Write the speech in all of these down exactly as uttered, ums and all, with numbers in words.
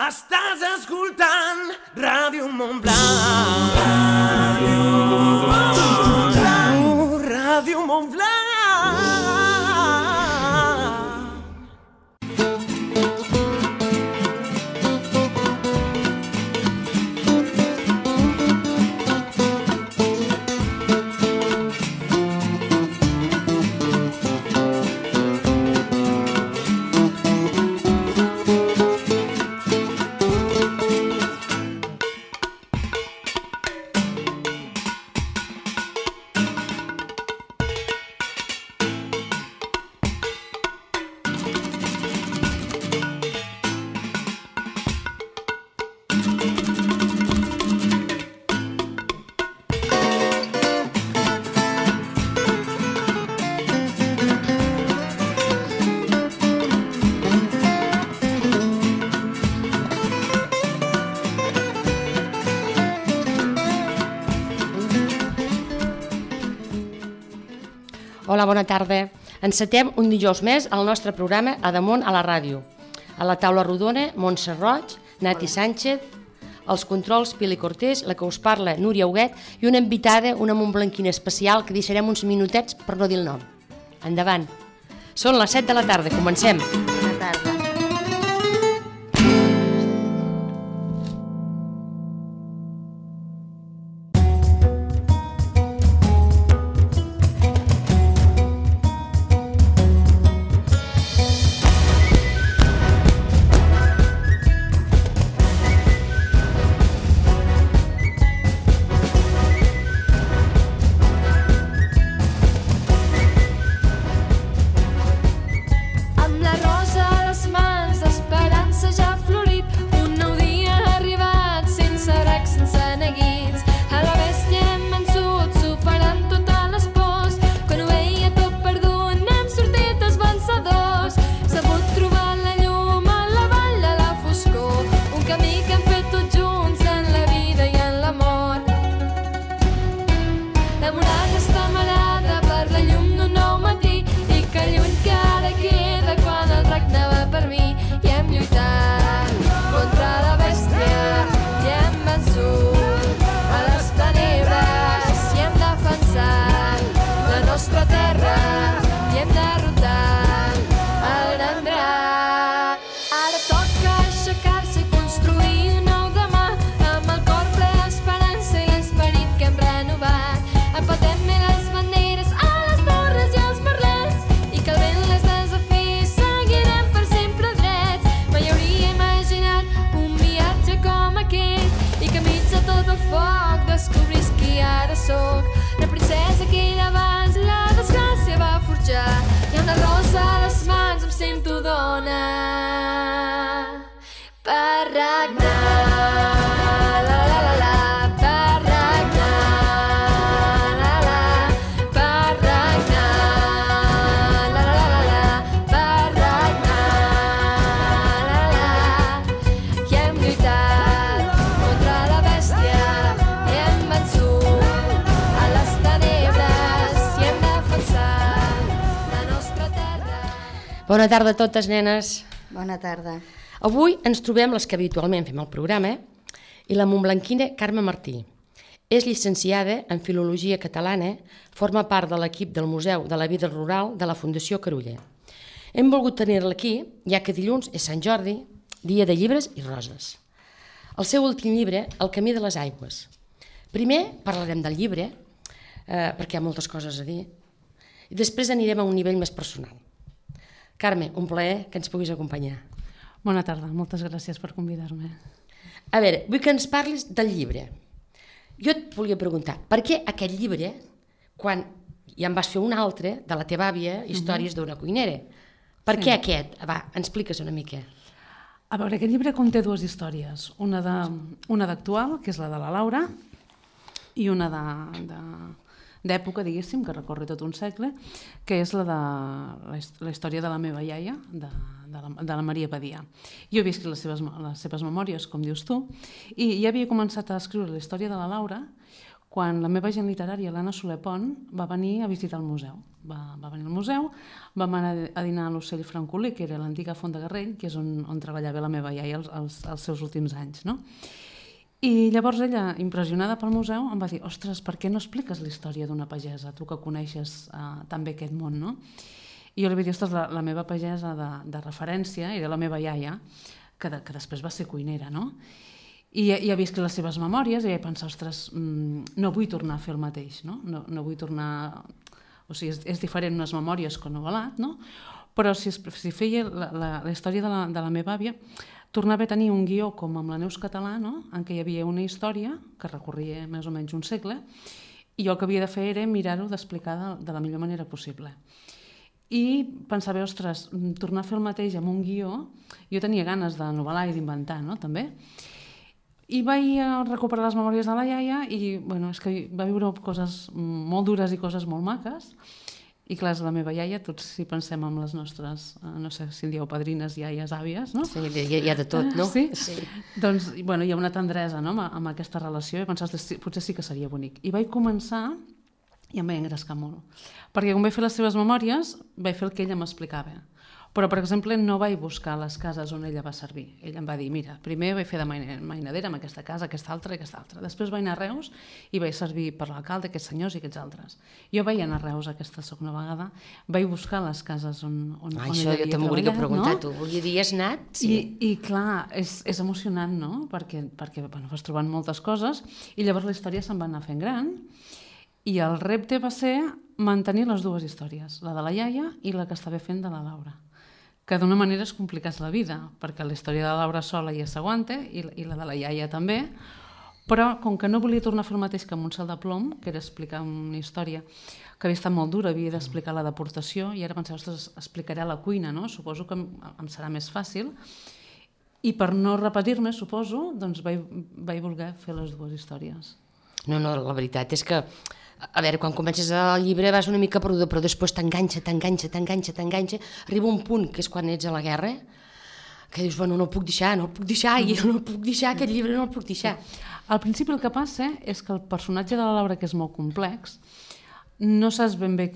Estàs escoltant Ràdio Montblanc. Ràdio Montblanc. Ràdio Montblanc. Hola, bona tarda. Encetem un dijous més al nostre programa A Damunt a la ràdio. A la taula rodona, Montse Roig, Nati Sánchez, els controls Pili Cortés, la que us parla Núria Huguet i una invitada, una montblanquina especial que deixarem uns minutets per no dir el nom. Endavant. Són les set de la tarda, comencem. Bona tarda. Bona tarda a totes, nenes. Bona tarda. Avui ens trobem les que habitualment fem el programa i la montblanquina Carme Martí. És llicenciada en Filologia Catalana, forma part de l'equip del Museu de la Vida Rural de la Fundació Carulla. Hem volgut tenir-la aquí, ja que dilluns és Sant Jordi, dia de llibres i roses. El seu últim llibre, El camí de les aigües. Primer parlarem del llibre, eh, perquè hi ha moltes coses a dir, i després anirem a un nivell més personal. Carme, un plaer que ens puguis acompanyar. Bona tarda, moltes gràcies per convidar-me. A veure, vull que ens parlis del llibre. Jo et volia preguntar, per què aquest llibre, quan ja en vas fer un altre, de la teva àvia, Històries d'una cuinera, per què aquest? Va, expliques una mica. A veure, aquest llibre conté dues històries, una d'actual, que és la de la Laura, i una d'època, diguéssim, que recorre tot un segle, que és la de la història de la meva iaia, de, de, la, de la Maria Badia. Jo he vist les seves, les seves memòries, com dius tu, i ja havia començat a escriure la història de la Laura quan la meva agent literària, l'Anna Soler Pont, va venir a visitar el museu. Va, va venir al museu, vam anar a dinar a l'Ocell Francolí, que era l'antiga Font de Garrell, que és on, on treballava la meva iaia els, els, els seus últims anys, no? I llavors ella, impressionada pel museu, em va dir: ostres, per què no expliques la història d'una pagesa, tu que coneixes uh, tan bé aquest món, no? I jo li vaig dir: ostres, la, la meva pagesa de, de referència era la meva iaia, que, de, que després va ser cuinera, no? I, i havia escrit les seves memòries i vaig pensar: ostres, mmm, no vull tornar a fer el mateix, no? No, no vull tornar... O sigui, és, és diferent unes memòries que un novel·lat, no? Però si, si feia la, la, la història de la, de la meva àvia, tornava a tenir un guió com amb la Neus Català, no? En què hi havia una història que recorria més o menys un segle, i jo el que havia de fer era mirar-ho d'explicar de, de la millor manera possible. I pensava: ostres, tornar a fer el mateix amb un guió, jo tenia ganes de novel·lar i d'inventar, no? També. I vaig recuperar les memòries de la iaia i, bueno, és que va viure coses molt dures i coses molt maques. I clar, és la meva iaia, tots si pensem en les nostres, no sé si en dieu padrines, iaies, àvies, no? Sí, hi ha de tot, no? Sí? Sí. Doncs, bueno, hi ha una tendresa, no?, amb, amb aquesta relació, i pensar: potser sí que seria bonic. I vaig començar i em vaig engrescar molt. Perquè quan vaig fer les seves memòries, vaig fer el que ella m'explicava. Però, per exemple, no vaig buscar les cases on ella va servir. Ella em va dir: mira, primer vaig fer de mainadera amb aquesta casa, aquesta altra i aquesta altra. Després vaig anar a Reus i vaig servir per l'alcalde, aquests senyors i aquests altres. Jo vaig anar a Reus aquesta segona vegada, vaig buscar les cases on, on, ah, on això ella jo havia també volia preguntar, no? tu volia dir, has anat? Sí. I, I clar, és, és emocionant, no? Perquè, perquè bueno, vas trobant moltes coses i llavors la història se'n va anar fent gran i el repte va ser mantenir les dues històries, la de la iaia i la que estava fent de la Laura, que d'una manera es complicàs la vida, perquè la història de la Laura sola ja s'aguanta i, i la de la iaia també, però com que no volia tornar a fer el mateix que amb un salt de plom, que era explicar una història que havia estat molt dura, havia d'explicar la deportació, i ara pensava: ostres, explicaré la cuina, no? Suposo que em, em serà més fàcil. I per no repetir-me, suposo, doncs vaig, vaig voler fer les dues històries. No, no, la veritat és que, a veure, quan comences el llibre vas una mica perduda, però després t'enganxa, t'enganxa, t'enganxa, t'enganxa, arriba un punt, que és quan ets a la guerra, que dius: bueno, no el puc deixar, no el puc deixar, i no el puc deixar, aquest llibre no el puc deixar. Al principi el que passa és que el personatge de la Laura, que és molt complex, no saps ben bé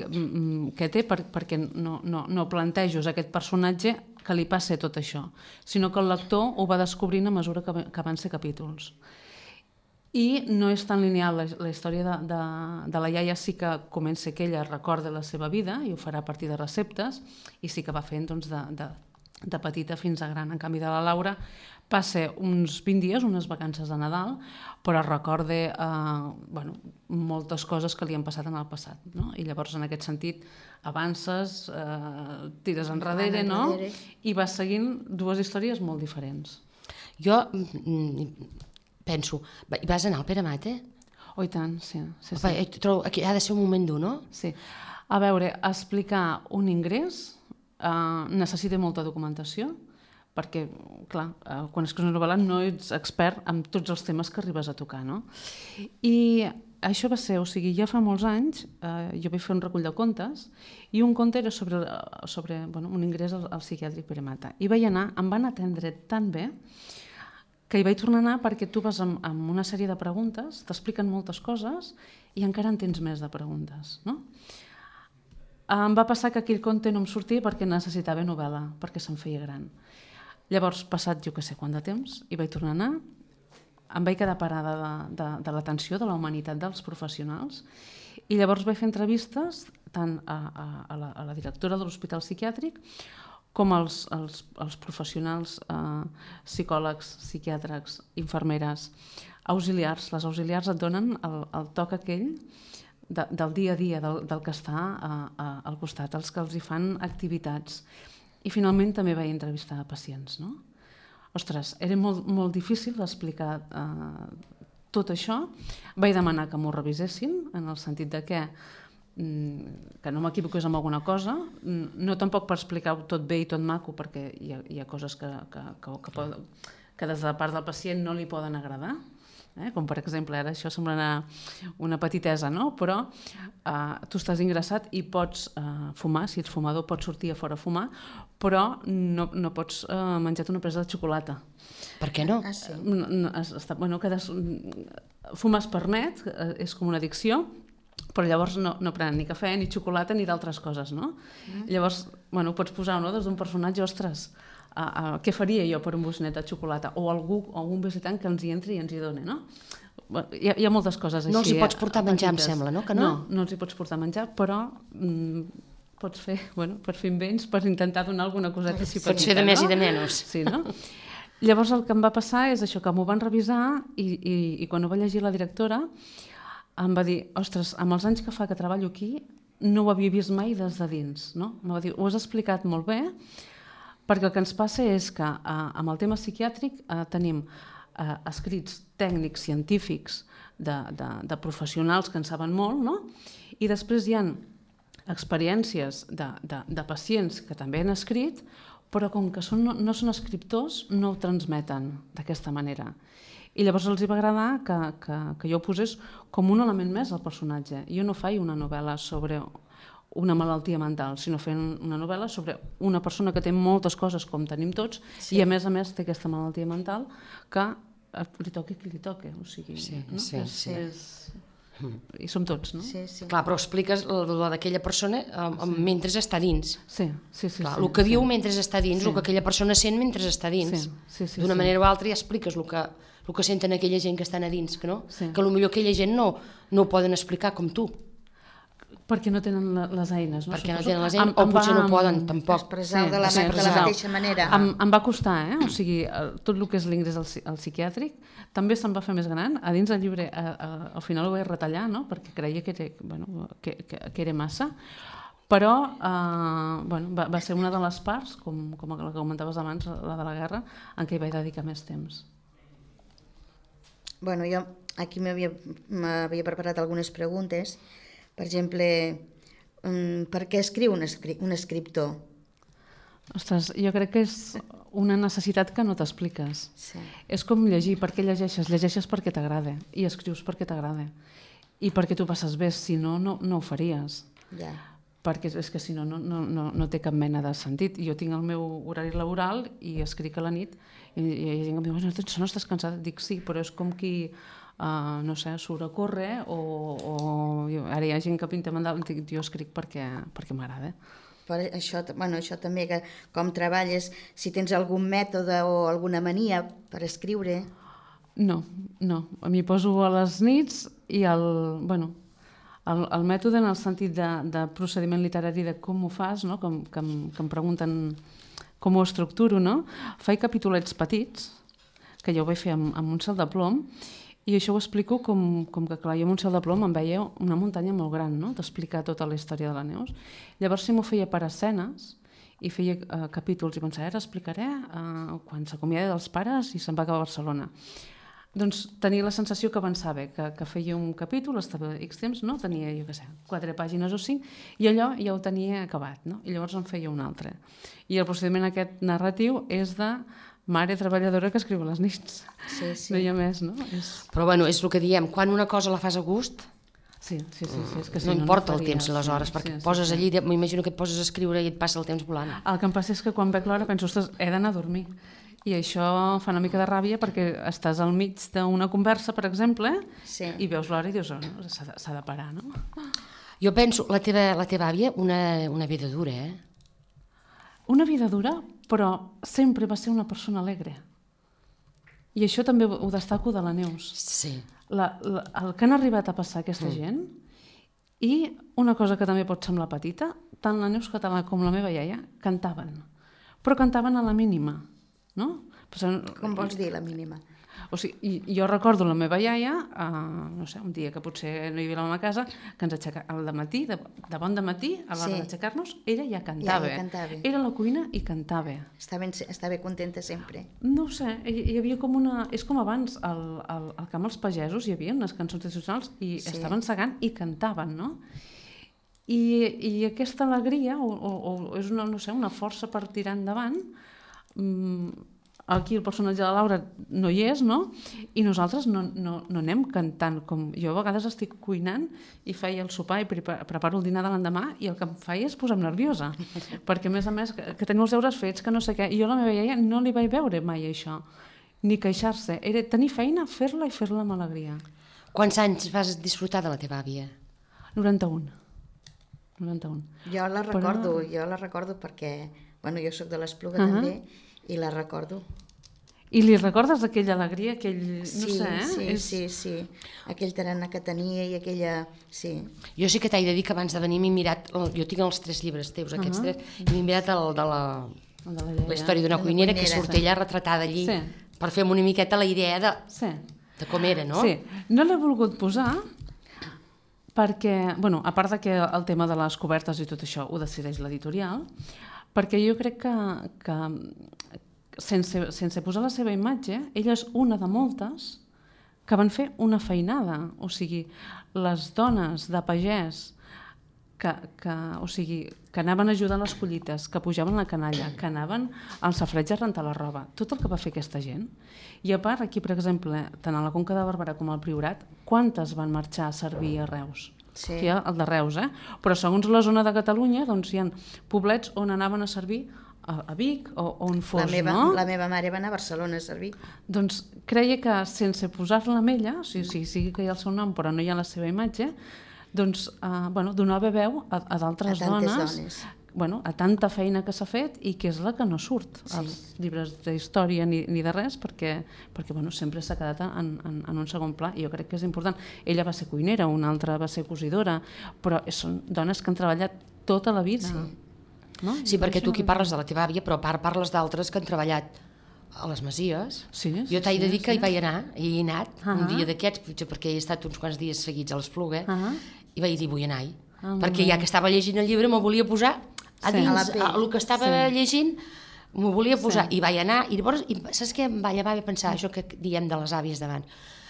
què té, perquè no, no, no plantejos aquest personatge que li passa tot això, sinó que el lector ho va descobrint a mesura que, que van ser capítols. I no és tan lineal, la, la història de, de, de la iaia sí que comença que ella recorda la seva vida i ho farà a partir de receptes, i sí que va fent doncs, de, de, de petita fins a gran. En canvi, de la Laura passa uns vint dies, unes vacances de Nadal, però recorda eh, bueno, moltes coses que li han passat en el passat, no? I llavors, en aquest sentit, avances, eh, tires enrere, no? I vas seguint dues històries molt diferents. Jo penso, vas anar al Pere Mata? Oh, i tant, sí. sí, sí. Opa, trobo, aquí ha de ser un moment dur, no? Sí. A veure, explicar un ingrés eh, necessita molta documentació, perquè, clar, eh, quan escrius una novel·la no ets expert en tots els temes que arribes a tocar, no? I això va ser, o sigui, ja fa molts anys, eh, jo vaig fer un recull de contes, i un conte era sobre, sobre bueno, un ingrés al, al psiquiàtric Pere Mata. I vaig anar, em van atendre tan bé, que hi vaig tornar a anar perquè tu vas amb, amb una sèrie de preguntes, t'expliquen moltes coses i encara en tens més de preguntes, no? Em va passar que aquell conte no em sortia perquè necessitava novel·la, perquè se'm feia gran. Llavors, passat jo que sé quant de temps, hi vaig tornar a anar, em vaig quedar parada de, de, de l'atenció, de la humanitat dels professionals, i llavors vaig fer entrevistes tant a, a, a, la, a la directora de l'Hospital Psiquiàtric com els, els, els professionals, eh, psicòlegs, psiquiàtrics, infermeres, auxiliars. Les auxiliars et donen el, el toc aquell de, del dia a dia, del, del que està a, a, al costat, els que els hi fan activitats. I finalment també vaig entrevistar pacients, no? Ostres, era molt, molt difícil explicar eh, tot això. Vaig demanar que m'ho revisessin, en el sentit de que que no m'equivoqués amb alguna cosa, no tampoc per explicar-ho tot bé i tot maco, perquè hi ha, hi ha coses que, que, que, que, pot, que des de la part del pacient no li poden agradar, eh? Com per exemple, ara això sembla una, una petitesa, no? Però uh, tu estàs ingressat i pots uh, fumar, si ets fumador pots sortir a fora a fumar, però no, no pots uh, menjar una presa de xocolata. Per què no? Ah, sí. No, no, està, bueno, quedes, fumar es permet, és com una addicció, però llavors no, no prenen ni cafè, ni xocolata, ni d'altres coses, no? Mm. Llavors, bueno, pots posar, no?, des d'un personatge, ostres, a, a, què faria jo per un bocinet de xocolata? O algú, o algun visitant que ens hi entri i ens hi doni, no? Hi ha, hi ha moltes coses així. No els hi pots portar eh, menjar, em petites. sembla, no? Que no? No, no els hi pots portar menjar, però mm, pots fer, bueno, pots fer invents per intentar donar alguna coseta així petita, pots fer de més no? i de menys. Sí, no? Llavors el que em va passar és això, que m'ho van revisar i, i, i quan ho va llegir la directora em va dir, ostres, amb els anys que fa que treballo aquí no ho havia vist mai des de dins, no? Em va dir, ho has explicat molt bé, perquè el que ens passa és que eh, amb el tema psiquiàtric eh, tenim eh, escrits tècnics, científics, de, de, de professionals que en saben molt, no? I després hi ha experiències de, de, de pacients que també han escrit, però com que són, no són escriptors, no ho transmeten d'aquesta manera. I llavors els hi va agradar que, que, que jo ho posés com un element més al personatge. Jo no faig una novel·la sobre una malaltia mental, sinó fent una novel·la sobre una persona que té moltes coses, com tenim tots, sí. I a més a més té aquesta malaltia mental que li toqui qui li toqui. O sigui, sí, no? sí, és, sí. És... I som tots, no? Sí, sí. Clar, però expliques la d'aquella persona um, sí. mentre està dins. Sí, sí, sí. Clar, sí, el que sí. viu mentre està dins, sí. el que aquella persona sent mentre està dins. Sí, sí, sí, D'una sí. manera o altra ja expliques el que, el que senten aquella gent que estan a dins, que no? Sí. Que potser aquella gent no, no ho poden explicar com tu. Perquè no tenen la, les eines. No? Perquè no Suposo. tenen les eines, em, o em potser va, no poden, tampoc. Expressar Sí, de, la, sí, de la mateixa manera. Em, em va costar, eh? O sigui, tot el que és l'ingrés al, al psiquiàtric també se'm va fer més gran. A dins del llibre, a, a, al final ho vaig retallar, no? Perquè creia que era, bueno, que, que, que era massa, però eh, bueno, va, va ser una de les parts, com, com la que comentaves abans, la de la guerra, en què hi vaig dedicar més temps. Bueno, jo aquí m'havia preparat algunes preguntes. Per exemple, per què escriu un, escri un escriptor? Ostres, jo crec que és una necessitat que no t'expliques. Sí. És com llegir. Per què llegeixes? Llegeixes perquè t'agrada i escrius perquè t'agrada. I perquè tu passes bé, si no, no, no ho faries. Ja. Perquè és que si no, no, no, no té cap mena de sentit. Jo tinc el meu horari laboral i escric a la nit i, i hi ha gent que em diu, no, no estàs cansada? Dic sí, però és com qui, uh, no sé, surt a córrer o, o jo, ara hi ha gent que pinta mandal, dic, jo escric perquè, perquè m'agrada. Per això, bueno, això també, que com treballes, si tens algun mètode o alguna mania per escriure... No, no. M'hi poso a les nits i el, bueno, el, el mètode en el sentit de, de procediment literari de com ho fas, no? com, que, em, que em pregunten com ho estructuro, no? Faig capitulets petits, que jo ho vaig fer amb, amb un cel de plom, i això ho explico com, com que, clar, jo amb un cel de plom em veia una muntanya molt gran, no?, d'explicar tota la història de la Neus. Llavors, si m'ho feia per escenes i feia uh, capítols i pensava, ara explicaré uh, quan s'acomiada dels pares i se'n va cap a Barcelona. Doncs tenia la sensació que avançava, que, que feia un capítol, estava X temps, no? Tenia, jo què sé, quatre pàgines o cinc, i allò ja ho tenia acabat, no? I llavors en feia un altre. I el procediment aquest narratiu és de mare treballadora que escriu a les nits. Sí, sí. No hi ha més, no? És... Però bueno, és el que diem, quan una cosa la fas a gust, Sí, sí, sí, sí, és que si no, no importa no el faries, temps, les hores, sí, perquè sí, et poses sí, allí, m'imagino que et poses a escriure i et passa el temps volant. El que em passa és que quan veig l'hora penso, ostres, he d'anar a dormir. I això fa una mica de ràbia perquè estàs al mig d'una conversa, per exemple, Sí. i veus l'hora i dius, oh, no, s'ha de, s'ha de parar, no? Jo penso, la teva, la teva àvia, una, una vida dura, eh? Una vida dura, però sempre va ser una persona alegre. I això també ho destaco de la Neus. Sí. La, la, el que han arribat a passar aquesta mm. gent, i una cosa que també pot semblar petita, tant la Neus Català com la meva iaia cantaven, però cantaven a la mínima, no? Com vols dir, la mínima? O sigui, jo recordo la meva iaia, uh, no sé, un dia que potser no hi havia la meva casa, que ens aixecava al matí, de, de bon dematí, a l'hora Sí. d'aixecar-nos, ella ja cantava. Ja, ja cantava. Era a la cuina i cantava. Estava, estava contenta sempre. No ho sé, hi, hi havia com una... És com abans, al, al, al camp dels pagesos hi havia unes cançons tradicionals i Sí. estaven segant i cantaven, no? I, i aquesta alegria, o, o, o és una, no sé, una força per tirar endavant, mm, aquí el personatge de la Laura no hi és, no? I nosaltres no, no, no anem cantant. Com jo a vegades estic cuinant i feia el sopar i preparo el dinar de l'endemà i el que em feia és posar-me nerviosa. Perquè, a més a més, que, que teniu els deures fets, que no sé què. I jo a la meva iaia no li vaig veure mai això, ni queixar-se. Era tenir feina, fer-la i fer-la amb alegria. Quants anys vas disfrutar de la teva àvia? noranta-un. noranta-un. Jo la recordo, Però... jo la recordo perquè, bueno, jo sóc de l'Espluga uh-huh. també, i la recordo. I li recordes aquella alegria, aquell... no sí, sé, eh? Sí, és... sí, sí. Aquell tarannà que tenia i aquella... Sí. Jo sí que t'he de dir que abans de venir m'he mirat... Jo tinc els tres llibres teus, aquests uh -huh. tres, i m'he mirat el de la... El de la, la història d'una cuinera, cuinera, que surt sí. ella retratada allí, sí. per fer una miqueta la idea de, sí. de com era, no? Sí. No l'he volgut posar perquè, bueno, a part de que el tema de les cobertes i tot això ho decideix l'editorial, perquè jo crec que, que sense, sense posar la seva imatge, ella és una de moltes que van fer una feinada. O sigui, les dones de pagès que, que, o sigui, que anaven ajudant les collites, que pujaven la canalla, que anaven al safreig a rentar la roba, tot el que va fer aquesta gent. I a part, aquí, per exemple, tant a la Conca de Barberà com al Priorat, quantes van marxar a servir a Reus? Sí. Aquí hi ha el de Reus, eh? Però segons la zona de Catalunya, doncs hi ha poblets on anaven a servir a, a Vic o, o on fos, la meva, no? La meva mare va anar a Barcelona a servir. Doncs creia que sense posar-la amb ella, o sigui, sí, sí que hi ha el seu nom però no hi ha la seva imatge, doncs eh, bueno, donava veu a, a d'altres dones, dones. Bueno, a tanta feina que s'ha fet i que és la que no surt sí. als llibres d'història ni, ni de res perquè, perquè bueno, sempre s'ha quedat en, en, en un segon pla i jo crec que és important. Ella va ser cuinera, una altra va ser cosidora, però són dones que han treballat tota la vida. Sí. No? Sí, perquè tu aquí parles de la teva àvia, però a part parles d'altres que han treballat a les Masies. Sí, jo t'he sí, de dir que sí. hi vaig anar, hi he anat, uh -huh. un dia d'aquests, potser perquè he estat uns quants dies seguits a l'Espluga, uh -huh. i vaig dir vull anar-hi, uh -huh. perquè ja que estava llegint el llibre m'ho volia posar a sí. dins, a a, el que estava sí. llegint, m'ho volia posar, sí. i vaig anar, i llavors, i, saps què em va llevar a pensar, això que diem de les àvies davant,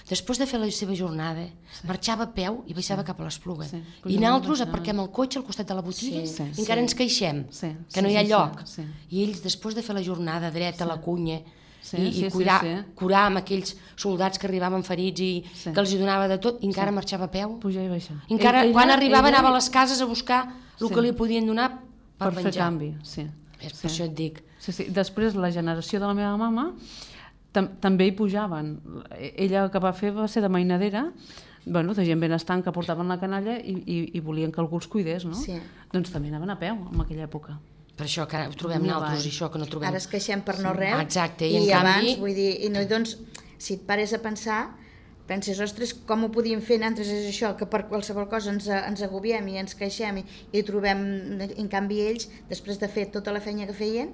després de fer la seva jornada, sí. marxava a peu i baixava sí. cap a l'Espluga. Sí. I nosaltres aparquem el cotxe al costat de la botiga sí, sí. i encara sí. ens queixem, sí. que no hi ha sí, lloc. Sí, sí. I ells, després de fer la jornada dreta a sí. la cunya, sí, i, sí, i curar, sí, sí. curar amb aquells soldats que arribaven ferits i sí. que els hi donava de tot, i encara sí. marxava a peu. Pujar i baixar. Encara, ella, quan arribava ella... anava a les cases a buscar el sí. que li podien donar per, per menjar. fer canvi, sí. És sí. per això et dic. Sí, sí. Després, la generació de la meva mama tam també hi pujaven. Ella el que va fer va ser de mainadera, bueno, de gent benestant que portaven la canalla i, i, i volien que algú els cuidés, no? Sí. Doncs també anaven a peu en aquella època. Per això que ara ho trobem No nosaltres va. i això que no trobem. Ara es queixem per no Sí. res. Exacte, i, i en abans, canvi... vull dir, i no, doncs, si et pares a pensar, penses, ostres, com ho podíem fer nosaltres, és això, que per qualsevol cosa ens, ens agobiem i ens queixem i, i trobem, en canvi ells, després de fer tota la feina que feien,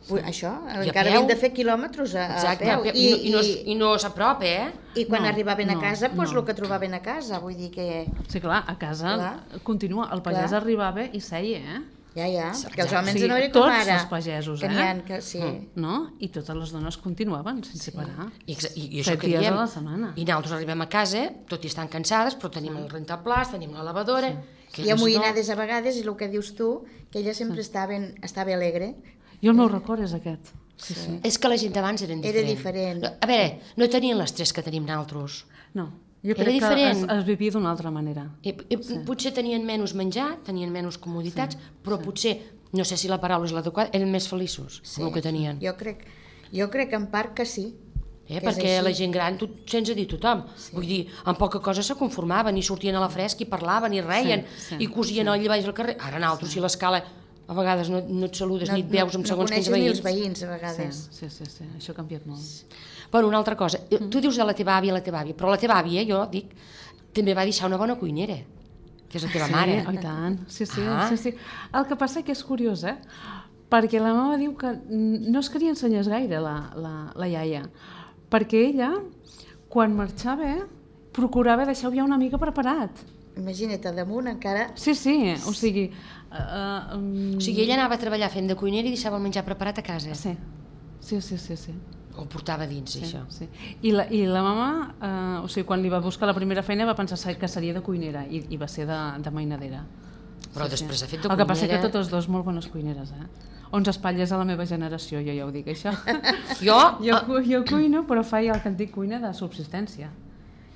sí. això, I encara havien de fer quilòmetres a, Exacte, a peu. I, i, i, no, i no s'apropa, eh? I quan No, arribaven a no, casa, doncs no. el que trobaven a casa, vull dir que... Sí, clar, a casa Clar. continua. El pagès Clar. arribava i seia, eh? Ja, ja, Exacte. perquè els homes O sigui, no era com tots ara. els pagesos, que eh? n'hi ha que, sí. No? I totes les dones continuaven sense parar. I, i, i això Set que dies diem, a la setmana. i nosaltres arribem a casa, tot i estan cansades, però tenim el rentaplats, tenim la lavadora... Sí. Que I ells amoïnades a vegades, i el que dius tu, que ella sempre estava, estava alegre. Jo el meu record és aquest. Sí, sí. És que la gent d'abans eren Era diferent. diferent. A veure, no tenien les tres que tenim nosaltres. No, jo Era crec que diferent. es, es vivia d'una altra manera. I, i sí. Potser tenien menys menjar, tenien menys comoditats, sí. però sí. potser, no sé si la paraula és l'adequada, eren més feliços sí. amb el que tenien. Jo crec, jo crec que en part que sí. Eh, que perquè és la gent gran, tu, sense dir tothom, sí. vull dir, amb poca cosa se conformaven i sortien a la fresca i parlaven i reien sí, sí, i cosien sí. allà baix al carrer. Ara nosaltres, sí. si l'escala, a vegades no, no et saludes No, ni et veus amb no, segons no quins coneixes ni veïns. els veïns, a vegades. Sí, sí, sí, sí. Això ha canviat molt. Bueno, una altra cosa, mm. tu dius de la teva àvia, la teva àvia, però la teva àvia, jo dic, també va deixar una bona cuinera, que és la teva sí, mare. Oh, i tant. Sí, sí, Ah. sí, sí. El que passa que és curiós, eh? Perquè la mama diu que no es queria ensenyar gaire la, la, la iaia, perquè ella, quan marxava, procurava deixar-ho ja una mica preparat. Imagina't, a damunt encara... Sí, sí, o sigui... Uh, um... O sigui, ella anava a treballar fent de cuinera i deixava el menjar preparat a casa. Sí, sí, sí, sí. sí. O portava dins, Sí, això. sí. I, la, I la mama, eh, o sigui, quan li va buscar la primera feina va pensar que seria de cuinera i, i va ser de, de mainadera. Però sí, després sí. ha fet de El que passa cuinera... que totes dos molt bones cuineres, eh? onze espatlles a la meva generació, jo ja ho dic, això. Jo? jo, cu jo cuino, però faig el que en dic cuina de subsistència.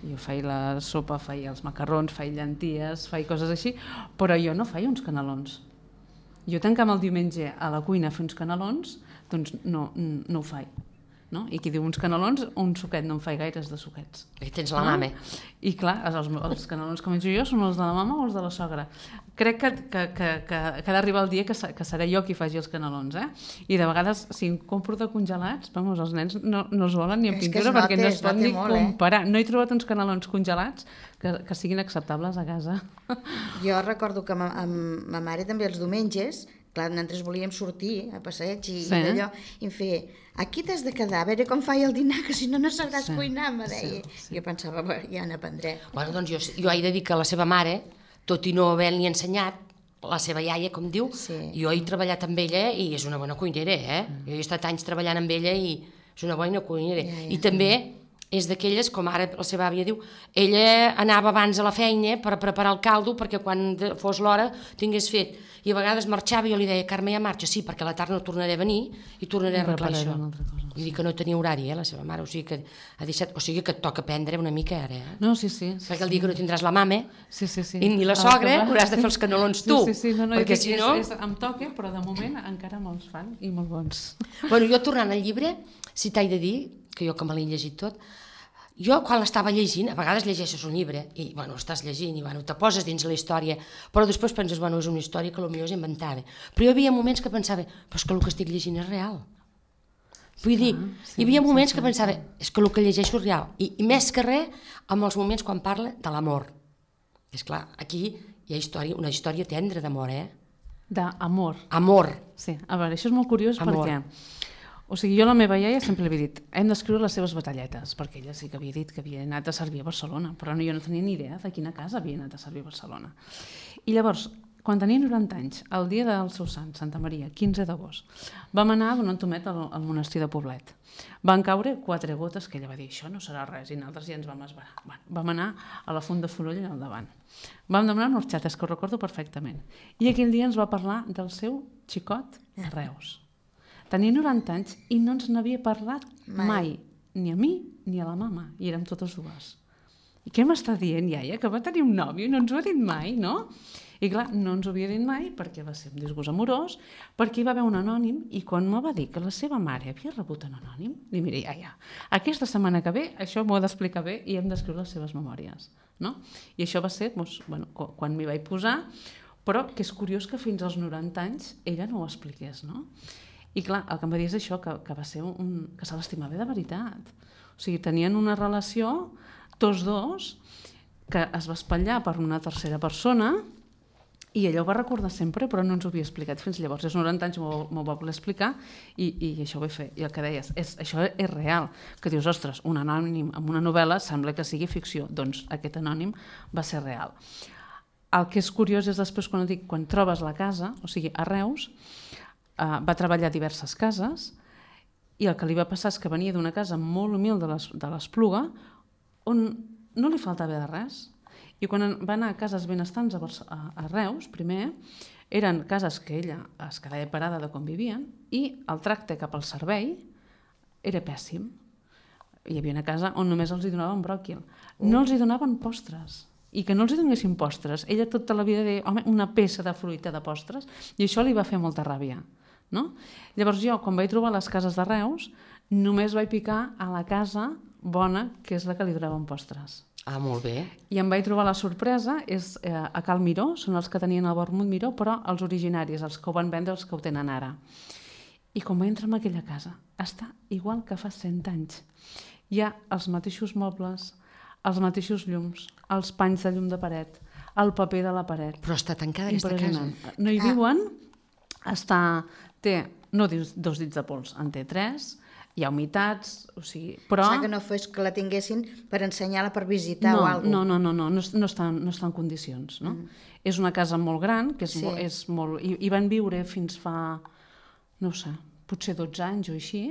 Jo faig la sopa, faig els macarrons, faig llenties, faig coses així, però jo no faig uns canelons. Jo tancam el diumenge a la cuina a fer uns canelons, doncs no, no ho faig. No? I qui diu uns canelons, un suquet, no en faig gaires de suquets. Aquí tens la mama. I clar, els, els canelons que menjo jo són els de la mama o els de la sogra. Crec que, que, que, que, que ha d'arribar el dia que, que seré jo qui faci els canelons, eh? I de vegades, si em compro de congelats, vamos, els nens no, no els volen ni en pintura perquè no es pot ni comparar. Eh? No he trobat uns canelons congelats que, que siguin acceptables a casa. Jo recordo que ma, amb ma mare també els diumenges, clar, nosaltres volíem sortir a passeig i, sí. i allò, i em feia, aquí t'has de quedar, a veure com faig el dinar, que si no, no sabràs sí. cuinar, me deia. Sí, sí. Jo pensava, ja n'aprendré. Bueno, doncs jo, jo he de dir que la seva mare, tot i no haver-li ensenyat, la seva iaia, com diu, sí. jo he treballat amb ella i és una bona cuinera, eh? Mm. Jo he estat anys treballant amb ella i és una bona cuinera. Ja, ja. I també és d'aquelles, com ara la seva àvia diu, ella anava abans a la feina per preparar el caldo perquè quan fos l'hora tingués fet. I a vegades marxava i jo li deia, Carme, ja marxa? Sí, perquè a la tarda no tornaré a venir i tornaré a arreglar això. Vull dir que no tenia horari, eh, la seva mare, o sigui que ha deixat, o sigui que et toca aprendre una mica ara, eh? No, sí, sí. sí perquè el dia que no tindràs la mama sí, sí, sí. i ni la sogra hauràs de fer els canelons tu. Sí, sí, sí. No, no, perquè dic, si no... És, és, em toca, però de moment encara me'ls fan i molt bons. Bueno, jo tornant al llibre, si t'haig de dir, que jo que me l'he llegit tot, jo quan l'estava llegint, a vegades llegeixes un llibre i bueno, estàs llegint i bueno, te poses dins la història, però després penses, bueno, és una història que potser és inventada. Però hi havia moments que pensava, però és que el que estic llegint és real. Vull dir, hi havia moments que pensava, és que el que llegeixo és real. I, i més que res, amb els moments quan parla de l'amor. És clar, aquí hi ha història, una història tendra d'amor, eh? D'amor. Amor. Sí, a veure, això és molt curiós amor. perquè... O sigui, jo a la meva iaia sempre li havia dit hem d'escriure les seves batalletes, perquè ella sí que havia dit que havia anat a servir a Barcelona, però no, jo no tenia ni idea de quina casa havia anat a servir a Barcelona. I llavors, quan tenia noranta anys, el dia del seu sant, Santa Maria, quinze d'agost, vam anar a donar un tomet al, al monestir de Poblet. Van caure quatre gotes que ella va dir, això no serà res, i nosaltres ja ens vam esbarar. Bueno, vam anar a la Font de Fonoll al davant. Vam demanar unes xates, que ho recordo perfectament. I aquell dia ens va parlar del seu xicot a Reus. Tenia noranta anys i no ens n'havia parlat mai. mai, ni a mi ni a la mama, i érem totes dues. I què m'està dient, iaia, que va tenir un nòvio i no ens ho ha dit mai, no? I clar, no ens ho havia dit mai perquè va ser un disgust amorós, perquè hi va haver un anònim i quan me va dir que la seva mare havia rebut un anònim, li diré, iaia, aquesta setmana que ve això m'ho ha d'explicar bé i hem d'escriure les seves memòries, no? I això va ser, doncs, bueno, quan m'hi vaig posar, però que és curiós que fins als noranta anys ella no ho expliqués, no? I clar, el que em va dir és això, que, que va ser un... que se l'estimava de veritat. O sigui, tenien una relació, tots dos, que es va espatllar per una tercera persona i ella ho va recordar sempre, però no ens ho havia explicat fins llavors. Als noranta anys m'ho va voler explicar i, i això ho vaig fer. I el que deies, és, això és real. Que dius, ostres, un anònim amb una novel·la sembla que sigui ficció. Doncs aquest anònim va ser real. El que és curiós és després quan, dic, quan trobes la casa, o sigui, a Reus, Uh, va treballar a diverses cases i el que li va passar és que venia d'una casa molt humil de l'Espluga on no li faltava de res i quan va anar a cases benestants a, a, a Reus, primer, eren cases que ella es quedava parada de com vivien i el tracte cap al servei era pèssim. Hi havia una casa on només els hi donaven bròquil. No els hi donaven postres. I que no els hi donessin postres. Ella tota la vida deia, home, una peça de fruita de postres, i això li va fer molta ràbia. No? Llavors jo, quan vaig trobar les cases de Reus, només vaig picar a la casa bona, que és la que li donaven postres. Ah, molt bé. I em vaig trobar la sorpresa, és eh, a Cal Miró, són els que tenien el vermut Miró, però els originaris, els que ho van vendre, els que ho tenen ara. I quan vaig entrar en aquella casa, està igual que fa cent anys. Hi ha els mateixos mobles, els mateixos llums, els panys de llum de paret, el paper de la paret. Però està tancada aquesta casa. No hi viuen, està, té, no dius dos dits de pols, en té tres, hi ha humitats, o sigui, però... O sigui que no fos que la tinguessin per ensenyar-la, per visitar no, o alguna cosa. No, no, no, no, no, no, està, no està en condicions, no? Mm. És una casa molt gran, que és, sí. molt, és molt... I, I van viure fins fa, no sé, potser dotze anys o així,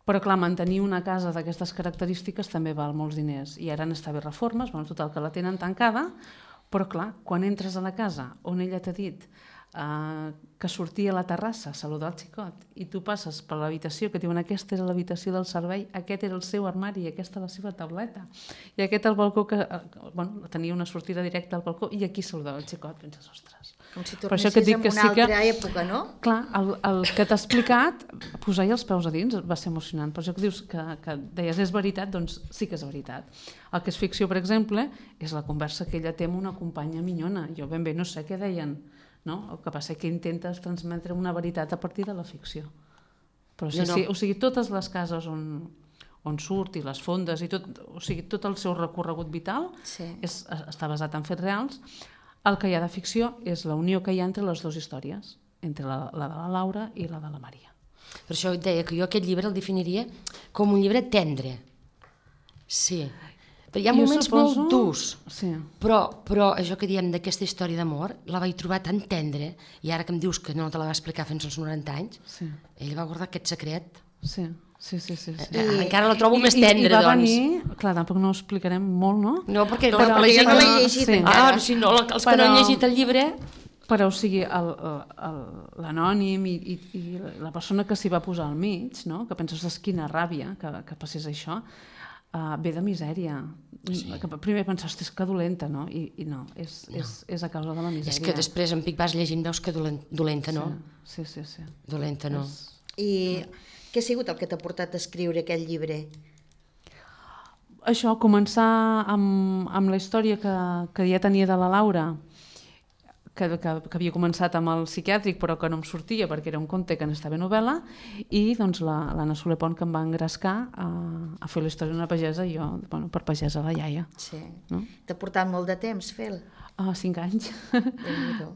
però clar, mantenir una casa d'aquestes característiques també val molts diners, i ara n'està bé reformes, bueno, total, que la tenen tancada, Però clar, quan entres a la casa on ella t'ha dit uh, que sortia a la terrassa a saludar el xicot i tu passes per l'habitació que diuen aquesta era l'habitació del servei, aquest era el seu armari i aquesta la seva tauleta i aquest el balcó que uh, bueno, tenia una sortida directa al balcó i aquí saludava el xicot, penses, ostres. Com si tornessis en una sí altra que, època, no? Clar, el, el que t'ha explicat, posar-hi els peus a dins va ser emocionant. Per això que dius que, que deies és veritat, doncs sí que és veritat. El que és ficció, per exemple, és la conversa que ella té amb una companya minyona. Jo ben bé no sé què deien, no? El que passa és que intentes transmetre una veritat a partir de la ficció. Però sí, no, no. sí, o sigui, totes les cases on, on surt i les fondes i tot, o sigui, tot el seu recorregut vital sí. és, està basat en fets reals. El que hi ha de ficció és la unió que hi ha entre les dues històries, entre la, la de la Laura i la de la Maria. Per això et deia que jo aquest llibre el definiria com un llibre tendre. Sí. Però hi ha jo moments suposo... molt durs, sí. però, però això que diem d'aquesta història d'amor la vaig trobar tan tendre, i ara que em dius que no te la va explicar fins als noranta anys, sí. ell va guardar aquest secret. Sí. Sí, sí, sí, sí. I, encara la trobo I, més tendre, i va doncs. Venir, clar, tampoc no ho explicarem molt, no? No, perquè, no, però, la gent no l'he llegit sí. encara. Ah, si no, els que però, no han llegit el llibre... Però, o sigui, l'anònim i, i, i la persona que s'hi va posar al mig, no? Que penses, quina ràbia que, que passés això, uh, ve de misèria. Sí. Que primer penses, és que dolenta, no? I, i no, és, no. És, és a causa de la misèria. És que després en Pic vas llegint, veus que dolenta, no? Sí, sí, sí. sí. Dolenta, no. És... I... Què ha sigut el que t'ha portat a escriure aquest llibre? Això, començar amb, amb la història que, que ja tenia de la Laura, que, que, que havia començat amb el psiquiàtric però que no em sortia perquè era un conte que n'estava novel·la, i doncs l'Anna la, Soler Pont que em va engrescar a, a fer la història d'una pagesa i jo, bueno, per pagesa la iaia. Sí. No? T'ha portat molt de temps fer-lo? Ah, cinc anys.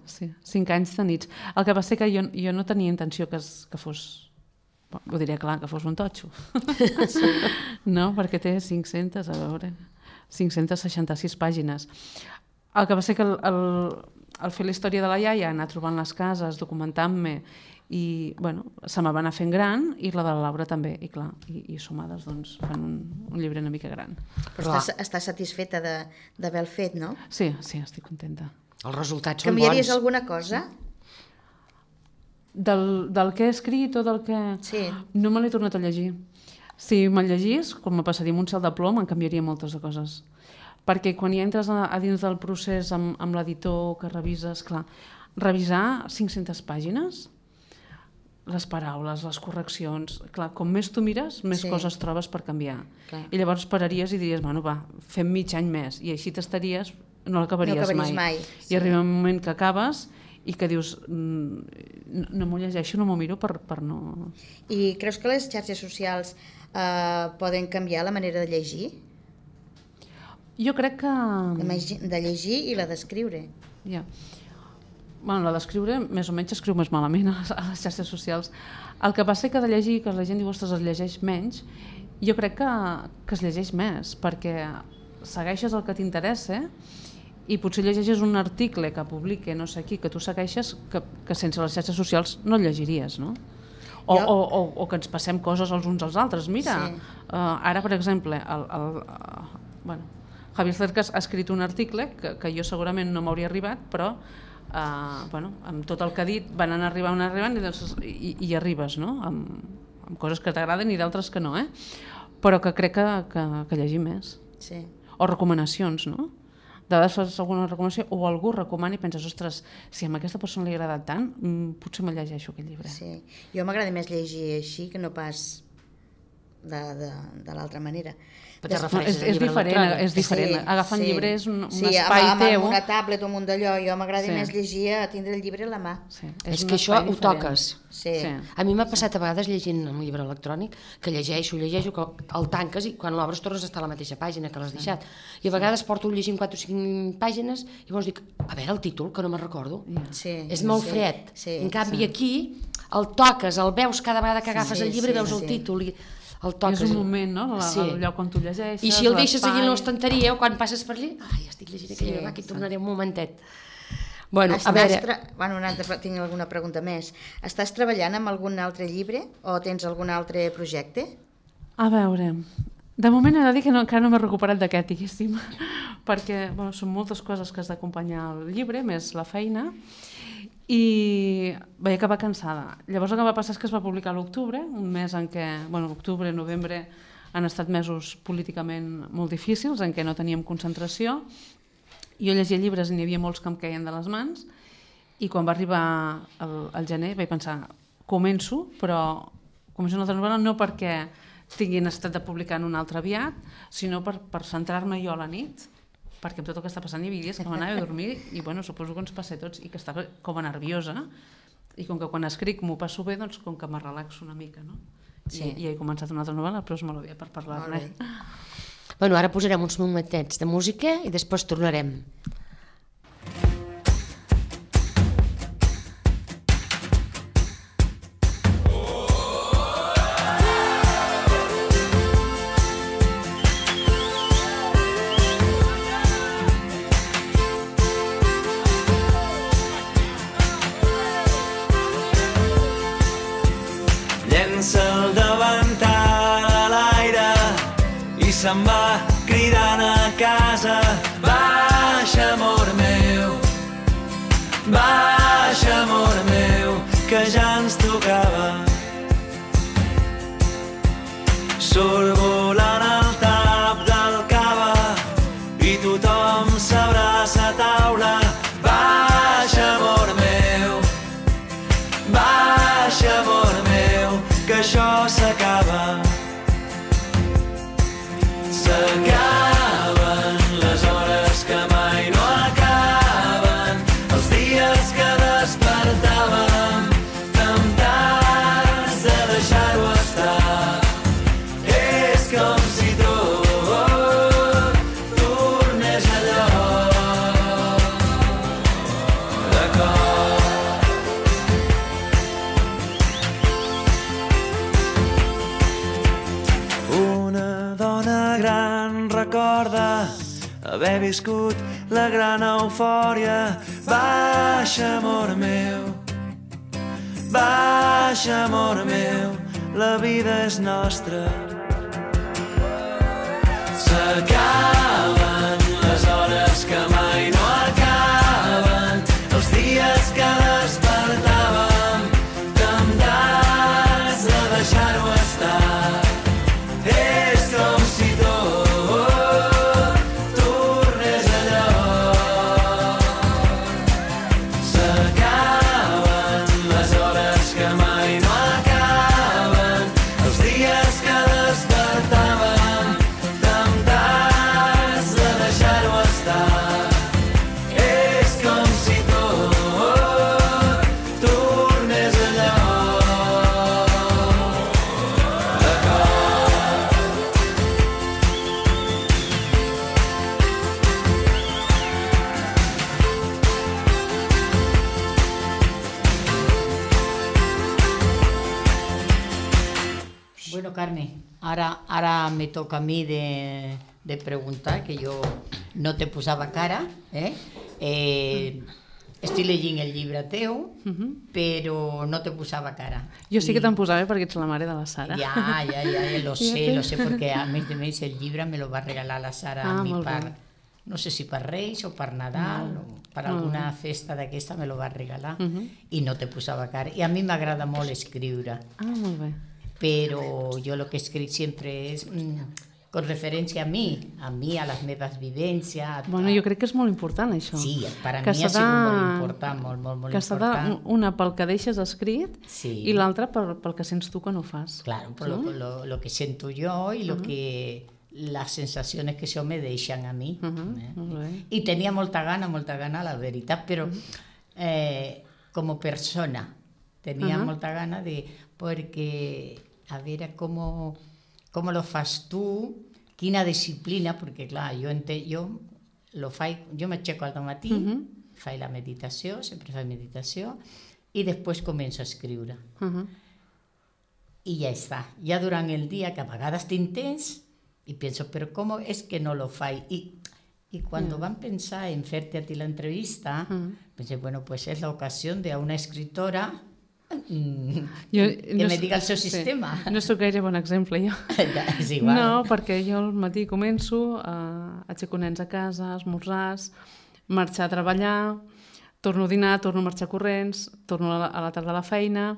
Sí, cinc anys de nits. El que va ser que jo, jo no tenia intenció que, es, que fos... ho diria clar, que fos un totxo. Sí. No, perquè té cinc-centes, a veure, cinc-centes seixanta-sis pàgines. El que va ser que el, el, el fer la història de la iaia, anar trobant les cases, documentant-me, i bueno, se me va anar fent gran, i la de la Laura també, i clar, i, i sumades doncs, fan un, un llibre una mica gran. Però estàs, estàs satisfeta d'haver-el fet, no? Sí, sí, estic contenta. Els resultats són bons. Canviaries alguna cosa? Del, del que he escrit o del que... Sí. No me l'he tornat a llegir. Si me'l llegís, com me passaria amb un cel de plom, em canviaria moltes de coses. Perquè quan hi entres a, a dins del procés amb, amb l'editor que revises, clar, revisar cinc-centes pàgines, les paraules, les correccions, clar, com més tu mires, més sí. coses trobes per canviar. Clar. I llavors pararies i diries, bueno, va, fem mig any més, i així t'estaries, no l'acabaries no mai. mai. I sí. Arriba un moment que acabes i que dius, no, no m'ho llegeixo, no m'ho miro per, per no... I creus que les xarxes socials eh, poden canviar la manera de llegir? Jo crec que... De llegir i la d'escriure. Ja. Bueno, la d'escriure més o menys escriu més malament a les, a les xarxes socials. El que passa que de llegir, que la gent diu, ostres, es llegeix menys, jo crec que, que es llegeix més, perquè segueixes el que t'interessa i potser llegeixes un article que publica no sé qui, que tu segueixes, que, que sense les xarxes socials no el llegiries, no? O, jo... o, o, o que ens passem coses els uns als altres. Mira, sí. uh, ara, per exemple, el, el, uh, bueno, Javier Cercas ha escrit un article que, que jo segurament no m'hauria arribat, però uh, bueno, amb tot el que ha dit van anar arribant, anar arribant i, doncs, i, i arribes, no? Amb, amb coses que t'agraden i d'altres que no, eh? Però que crec que, que, que llegir més. Sí. O recomanacions, no? De vegades fas alguna recomanació o algú recomana i penses, ostres, si a aquesta persona li ha agradat tant, potser me llegeixo aquest llibre. Sí. Jo m'agrada més llegir així que no pas de, de, de l'altra manera. Però no, és, és diferent, és diferent. Sí, agafar un sí. llibre és un, un sí, espai amb, teu. Amb una tablet o amb un d'allò, jo m'agrada sí. més llegir a tindre el llibre a la mà. Sí. És, és que això ho toques. Sí. Sí. A mi m'ha passat a vegades llegint un llibre electrònic que llegeixo, llegeixo, que el tanques i quan l'obres tornes a estar a la mateixa pàgina que l'has deixat. I a vegades porto llegint quatre o cinc pàgines i llavors dic, a veure el títol, que no me'n recordo. Sí. És molt sí. fred. Sí. En canvi sí. aquí el toques, el veus cada vegada que agafes sí, el llibre, sí, veus sí. el títol i el toques. És un moment, no? La, sí. El lloc on tu llegeixes. I si el deixes allà a l'estanteria o quan passes per allà, ai, estic llegint aquell llibre, va, aquí tornaré un momentet. Bueno, Estàs a veure... Tra... Bueno, una altra... tinc alguna pregunta més. Estàs treballant amb algun altre llibre o tens algun altre projecte? A veure, De moment he de dir que no, encara no m'he recuperat d'aquest, diguéssim, perquè bueno, són moltes coses que has d'acompanyar al llibre, més la feina, i vaig acabar cansada. Llavors el que va passar és que es va publicar a l'octubre, un mes en què, bueno, octubre, novembre, han estat mesos políticament molt difícils, en què no teníem concentració. Jo llegia llibres i n'hi havia molts que em queien de les mans, i quan va arribar el, el gener vaig pensar, començo, però començo una altra novel·la no perquè tinguin estat de publicar en un altre aviat, sinó per, per centrar-me jo a la nit, perquè amb tot el que està passant hi havia dies que m'anava a dormir i bueno, suposo que ens passa a tots i que estava com a nerviosa i com que quan escric m'ho passo bé, doncs com que me relaxo una mica, no? Sí. I, I he començat una altra novel·la, però és molt bé per parlar-ne. Bueno, ara posarem uns momentets de música i després tornarem. El davantal a l'aire i se'n va cridant a casa. Baixa, amor meu, baixa, amor meu, que ja ens tocava. Surt volant el tap del cava i tothom s'abraça a taula. Baixa, amor meu, baixa, amor meu, que això s'acaba. S'acaben les hores que mai no acaben, els dies que despertàvem temptats de deixar-ho estar. És com si tot tornés a lloc de cor. Una dona gran recorda haver viscut la gran eufòria. Baixa, amor meu, baixa, amor meu, la vida és nostra. S'acaben les hores que mai no acaben, els dies que despertàvem temptats de deixar-ho estar. És com si tot tornés a lloc. S'acaben les hores que mai no acaben, els dies que despertàvem temptats de deixar-ho estar. És com si tot tornés a lloc de cor. Bueno, Carme, ara, ara me toca a mi de, de preguntar, que jo no te posava cara, eh? eh estic llegint el llibre teu, però no te posava cara. Jo sí que te'n posava perquè ets la mare de la Sara. Ya, ya, ya, lo sé, lo sé, porque a més de més el llibre me lo va regalar la Sara Ah, a mi molt per, bé. no sé si per Reis o per Nadal, o per Molt alguna bé. festa d'aquesta me lo va regalar, Mhm. i no te posava cara. I a mi m'agrada molt escriure, Ah, molt bé. pero yo lo que he escrito siempre es mm, con referència a mi, a mi, a les meves vivències. Bueno, jo crec que és molt important, això. Sí, per a Que mi ha s'ha sigut de- molt important, molt, molt, molt que s'ha important. de, una pel que deixes escrit Sí. i l'altra pel, pel que sents tu que no fas. Claro, por lo, lo, lo que siento yo y lo que las sensaciones que eso me deixan a mi. Uh-huh, eh? molt bé. I tenia molta gana, molta gana, la veritat, però eh, com a persona tenia Uh-huh. molta gana de... Perquè, a veure com, com lo fas tu, quina disciplina, perquè clar, jo, ente, jo, lo faig, jo m'aixeco al matí, Uh-huh. faig la meditació, sempre faig meditació, i després començo a escriure. Uh-huh. I ja està. Ja durant el dia, que a vegades tinc temps, i penso, però com és que no lo faig? I, y cuando Mm. van a pensar en hacerte a ti la entrevista, Mm. pensé, bueno, pues es la ocasión de a una escritora mm, Jo, que no me s- diga el seu sí. sistema. No sóc gaire bon exemple, jo. Ja, és igual. No, perquè jo al matí començo, a aixeco nens a casa, esmorzars, marxar a treballar, torno a dinar, torno a marxar corrents, torno a la, a la tarda a la feina,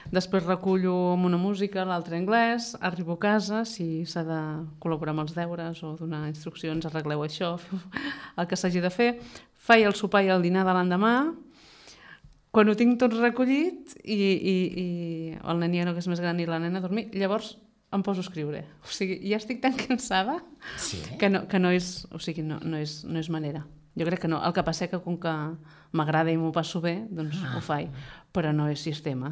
després recullo amb una música, l'altra anglès, arribo a casa, si s'ha de col·laborar amb els deures o donar instruccions, arregleu això, feu el que s'hagi de fer, faig el sopar i el dinar de l'endemà, quan ho tinc tot recollit i, i, i el neniano que és més gran i la nena a dormir, llavors em poso a escriure. O sigui, ja estic tan cansada Sí, eh? que no, que no és, o sigui, no, no, és, no és manera. Jo crec que no. El que passa que com que m'agrada i m'ho passo bé, doncs Ah. ho faig. Però no és sistema.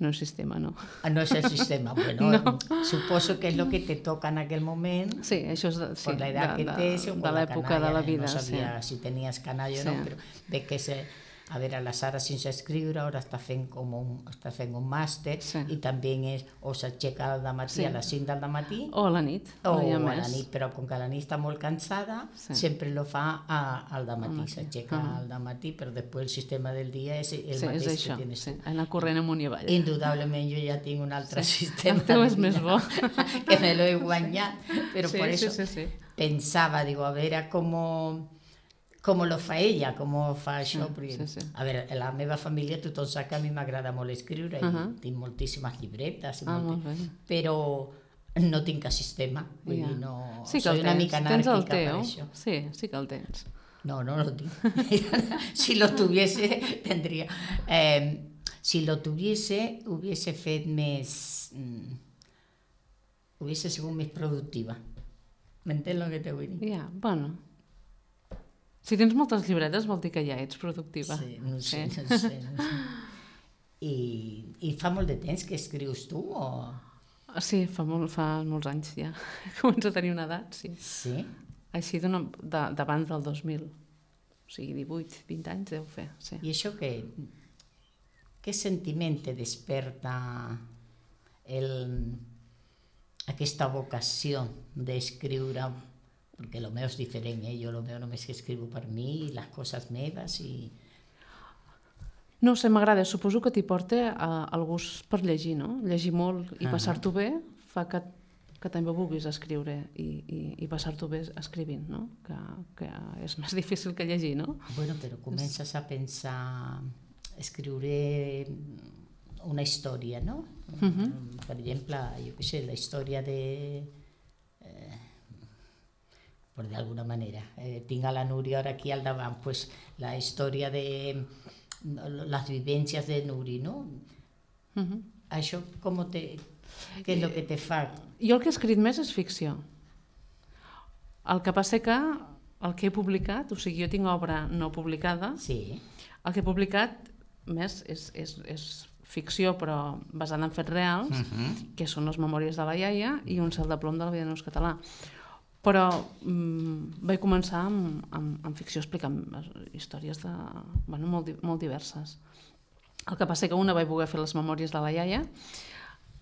No és sistema, no. Ah, no es el sistema. Bueno, No. suposo que es lo que te toca en aquel momento. Sí, això és de, sí, Por la edad de, que de, tens o de por la l'època de canalla, la vida. no sabia sí. si tenies canalla o Sí. no, però veig que se, a veure, la Sara sense escriure ara està fent, com un, està fent un màster Sí. i també és, o s'aixeca al matí Sí. a les cinc del matí O a la nit. o no hi ha a la més. nit, però com que la nit està molt cansada, Sí. sempre lo fa a, al Al matí, matí. s'aixeca Ah. al matí, però després el sistema del dia és el Sí, mateix és això. que tienes Sí. tu. Anar corrent amunt i avall. Indudablement jo ja tinc un altre sistema. El teu de és més vida, bo. que me lo he guanyat, però sí, por sí, eso sí, sí. pensaba, digo, a veure com, com lo fa ella, com fa això. Sí, Perquè, sí, sí. A veure, a la meva família tothom sap que a mi m'agrada molt escriure i Uh-huh. tinc moltíssimes llibretes, i Ah, molti- molt bé. però no tinc cap sistema, vull Ja. dir, no, Sí que soy el una tens. mica Tens el anàrquica per teu. això. Sí, sí que el tens. No, no lo tengo. Si lo tuviese, tendría. Eh, si lo tuviese, hubiese fet més... mm, hubiese sigut més productiva. M'entens el que te vull dir? Ja, bueno. Si tens moltes llibretes vol dir que ja ets productiva. Sí, no sé, Sí. no sé. No sé. I, I fa molt de temps que escrius tu? O... Sí, fa, molt, fa molts anys ja. Començo a tenir una edat, sí. Sí? Així d'una- de- d'abans del dos mil. O sigui, divuit, vint anys deu fer, sí. I això què, què sentiment te desperta el, aquesta vocació d'escriure? Perquè el meu és diferent, eh? Jo el meu només que escrivo per mi, les coses meves i... No ho sé, m'agrada. Suposo que t'hi porta a, el gust per llegir, no? Llegir molt i Ah. passar-t'ho bé fa que, que també vulguis escriure i, i, i passar-t'ho bé escrivint, no? Que, que és més difícil que llegir, no? Bueno, però comences a pensar, escriure una història, no? Mhm. Per exemple, jo què sé, la història de... Eh, per d'alguna manera. Eh, tinc a la Núria ara aquí al davant, pues, la història de les vivències de Nuri, no? Mhm. Això com te... Què és el que te fa? Jo el que he escrit més és ficció. El que passa que el que he publicat, o sigui, jo tinc obra no publicada, Sí, el que he publicat més és, és, és ficció, però basada en fets reals, Mhm. que són les memòries de la iaia i un cel de plom de la vida en ús català. Però mm, vaig començar amb, amb, amb ficció explicant històries de, bueno, molt, di- molt diverses. El que passa que una vaig voler fer les memòries de la iaia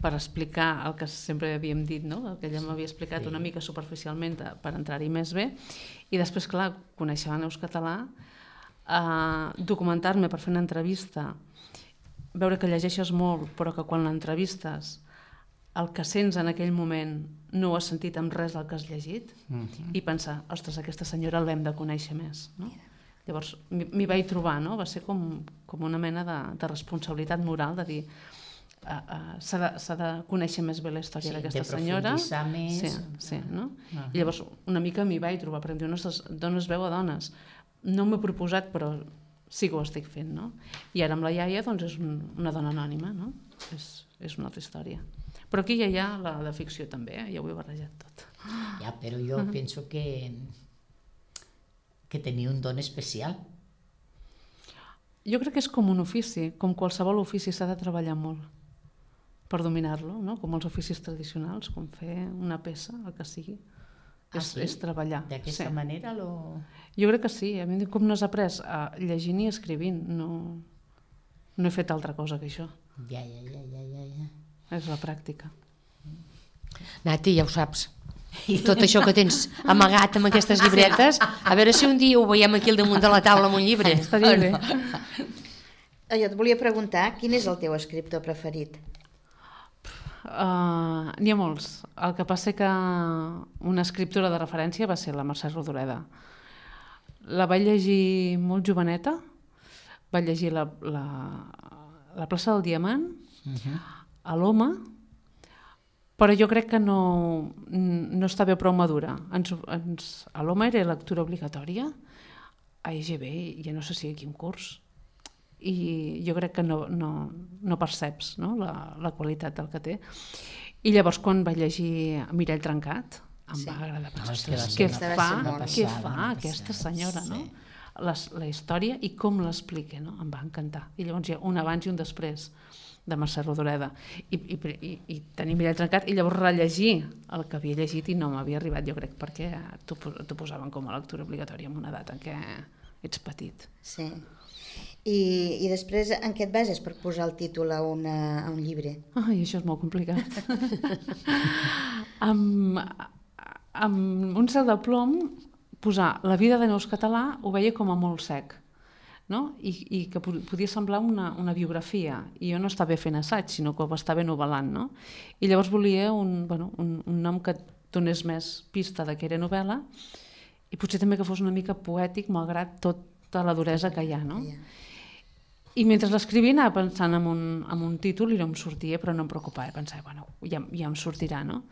per explicar el que sempre havíem dit, no? El que ella m'havia explicat Sí. una mica superficialment eh, per entrar-hi més bé, i després, clar, conèixer l'Aneus català, eh, documentar-me per fer una entrevista, veure que llegeixes molt, però que quan l'entrevistes el que sents en aquell moment no ho has sentit amb res del que has llegit, Mhm. i pensar, ostres, aquesta senyora l'hem de conèixer més, no? Llavors m'hi m'hi vaig trobar, no? Va ser com, com una mena de, de responsabilitat moral de dir uh, uh, s'ha de, s'ha de conèixer més bé la història Sí, d'aquesta de senyora. profunditzar més. Sí, sí, no? Ah. I llavors una mica m'hi vaig trobar, perquè em diu, ostres, dones veu a dones. No m'he proposat, però sí que ho estic fent, no? I ara amb la iaia, doncs, és un, una dona anònima, no? És, és una altra història. Però aquí ja hi ha la de ficció també, eh? Ja ho he barrejat tot. Ja, però jo penso que que tenia un don especial. Jo crec que és com un ofici, com qualsevol ofici s'ha de treballar molt per dominar-lo, no? Com els oficis tradicionals, com fer una peça, el que sigui. Ah, és, sí? és treballar. D'aquesta sí. manera lo... Jo crec que sí. A mi com no has après a llegint i escrivint, no, no he fet altra cosa que això. Ja, ja, ja, ja, ja, ja. És la pràctica. Nati, ja ho saps. Tot això que tens amagat amb aquestes llibretes, a veure si un dia ho veiem aquí al damunt de la taula amb un llibre. Estaria bé. Jo et volia preguntar, quin és el teu escriptor preferit? Uh, N'hi ha molts. El que passa que una escriptora de referència va ser la Mercè Rodoreda. La vaig llegir molt joveneta, vaig llegir la, la, la plaça del Diamant, uh-huh. a l'Home, però jo crec que no, no estava prou madura. Ens, ens, a l'Home era lectura obligatòria, a E G B ja no sé si quin curs, i jo crec que no, no, no perceps, no? La, la qualitat del que té. I llavors quan vaig llegir Mirall trencat em sí. va agradar. No, Ostres, què una, fa, una què passada, fa una aquesta passada, senyora, sí. no? Les, la història i com l'explica, no? Em va encantar. I llavors hi ha un abans i un després de Mercè Rodoreda. I, i, i, i tenir Mirall trencat i llavors rellegir el que havia llegit i no m'havia arribat, jo crec, perquè t'ho posaven com a lectura obligatòria en una edat en què ets petit. Sí. I, i després en què et bases per posar el títol a, una, a un llibre? Ai, això és molt complicat. amb, amb un cel de plom posar la vida de Neus Català ho veia com a molt sec, no? I, i que podia semblar una, una biografia, i jo no estava fent assaig, sinó que ho estava novel·lant, no? I llavors volia un, bueno, un, un nom que donés més pista de que era novel·la i potser també que fos una mica poètic malgrat tota la duresa que hi ha, no? I mentre l'escrivia anava pensant en un, en un títol i no em sortia, però no em preocupava, pensava, bueno, ja, ja em sortirà, no?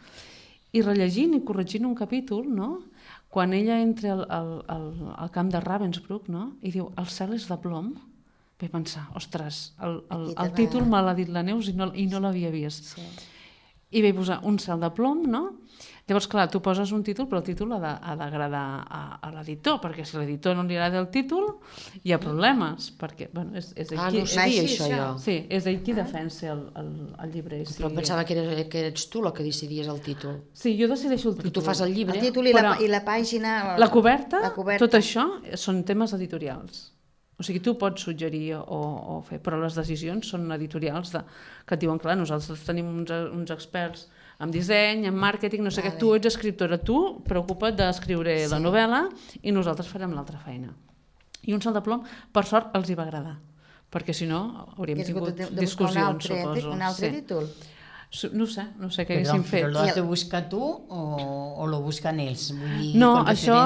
I rellegint i corregint un capítol, no? Quan ella entra al, al, al, al camp de Ravensbrück, no? I diu, el cel és de plom, vaig pensar, ostres, el, el, el títol me l'ha dit la Neus i no, i no l'havia vist. Sí. I vaig posar un cel de plom, no? Llavors, clar, tu poses un títol, però el títol ha d'agradar a, a l'editor, perquè si l'editor no li agrada el títol, hi ha problemes, perquè, bueno, és, és ell ah, qui... no sabia és, això, jo. Sí, és ell qui defensa el, el, el llibre. Sí. Però pensava que, era, que eres tu la que decidies el títol. Sí, jo decideixo el títol. Perquè tu fas el llibre. El títol i, la, i la pàgina... La coberta, la coberta, tot això són temes editorials. O sigui, tu pots suggerir o, o fer, però les decisions són editorials de, que et diuen, clar, nosaltres tenim uns, uns experts en disseny, en màrqueting, no sé vale. Què, tu ets escriptora, tu preocupa't d'escriure sí. la novel·la i nosaltres farem l'altra feina. I un cel de plom, per sort, els hi va agradar, perquè si no hauríem tingut de, de discussions, un altre, suposo. Un altre sí. títol? No sé, no sé què haguéssim fet. Però l'has de buscar tu o, o lo busquen ells? Vull dir, no, això,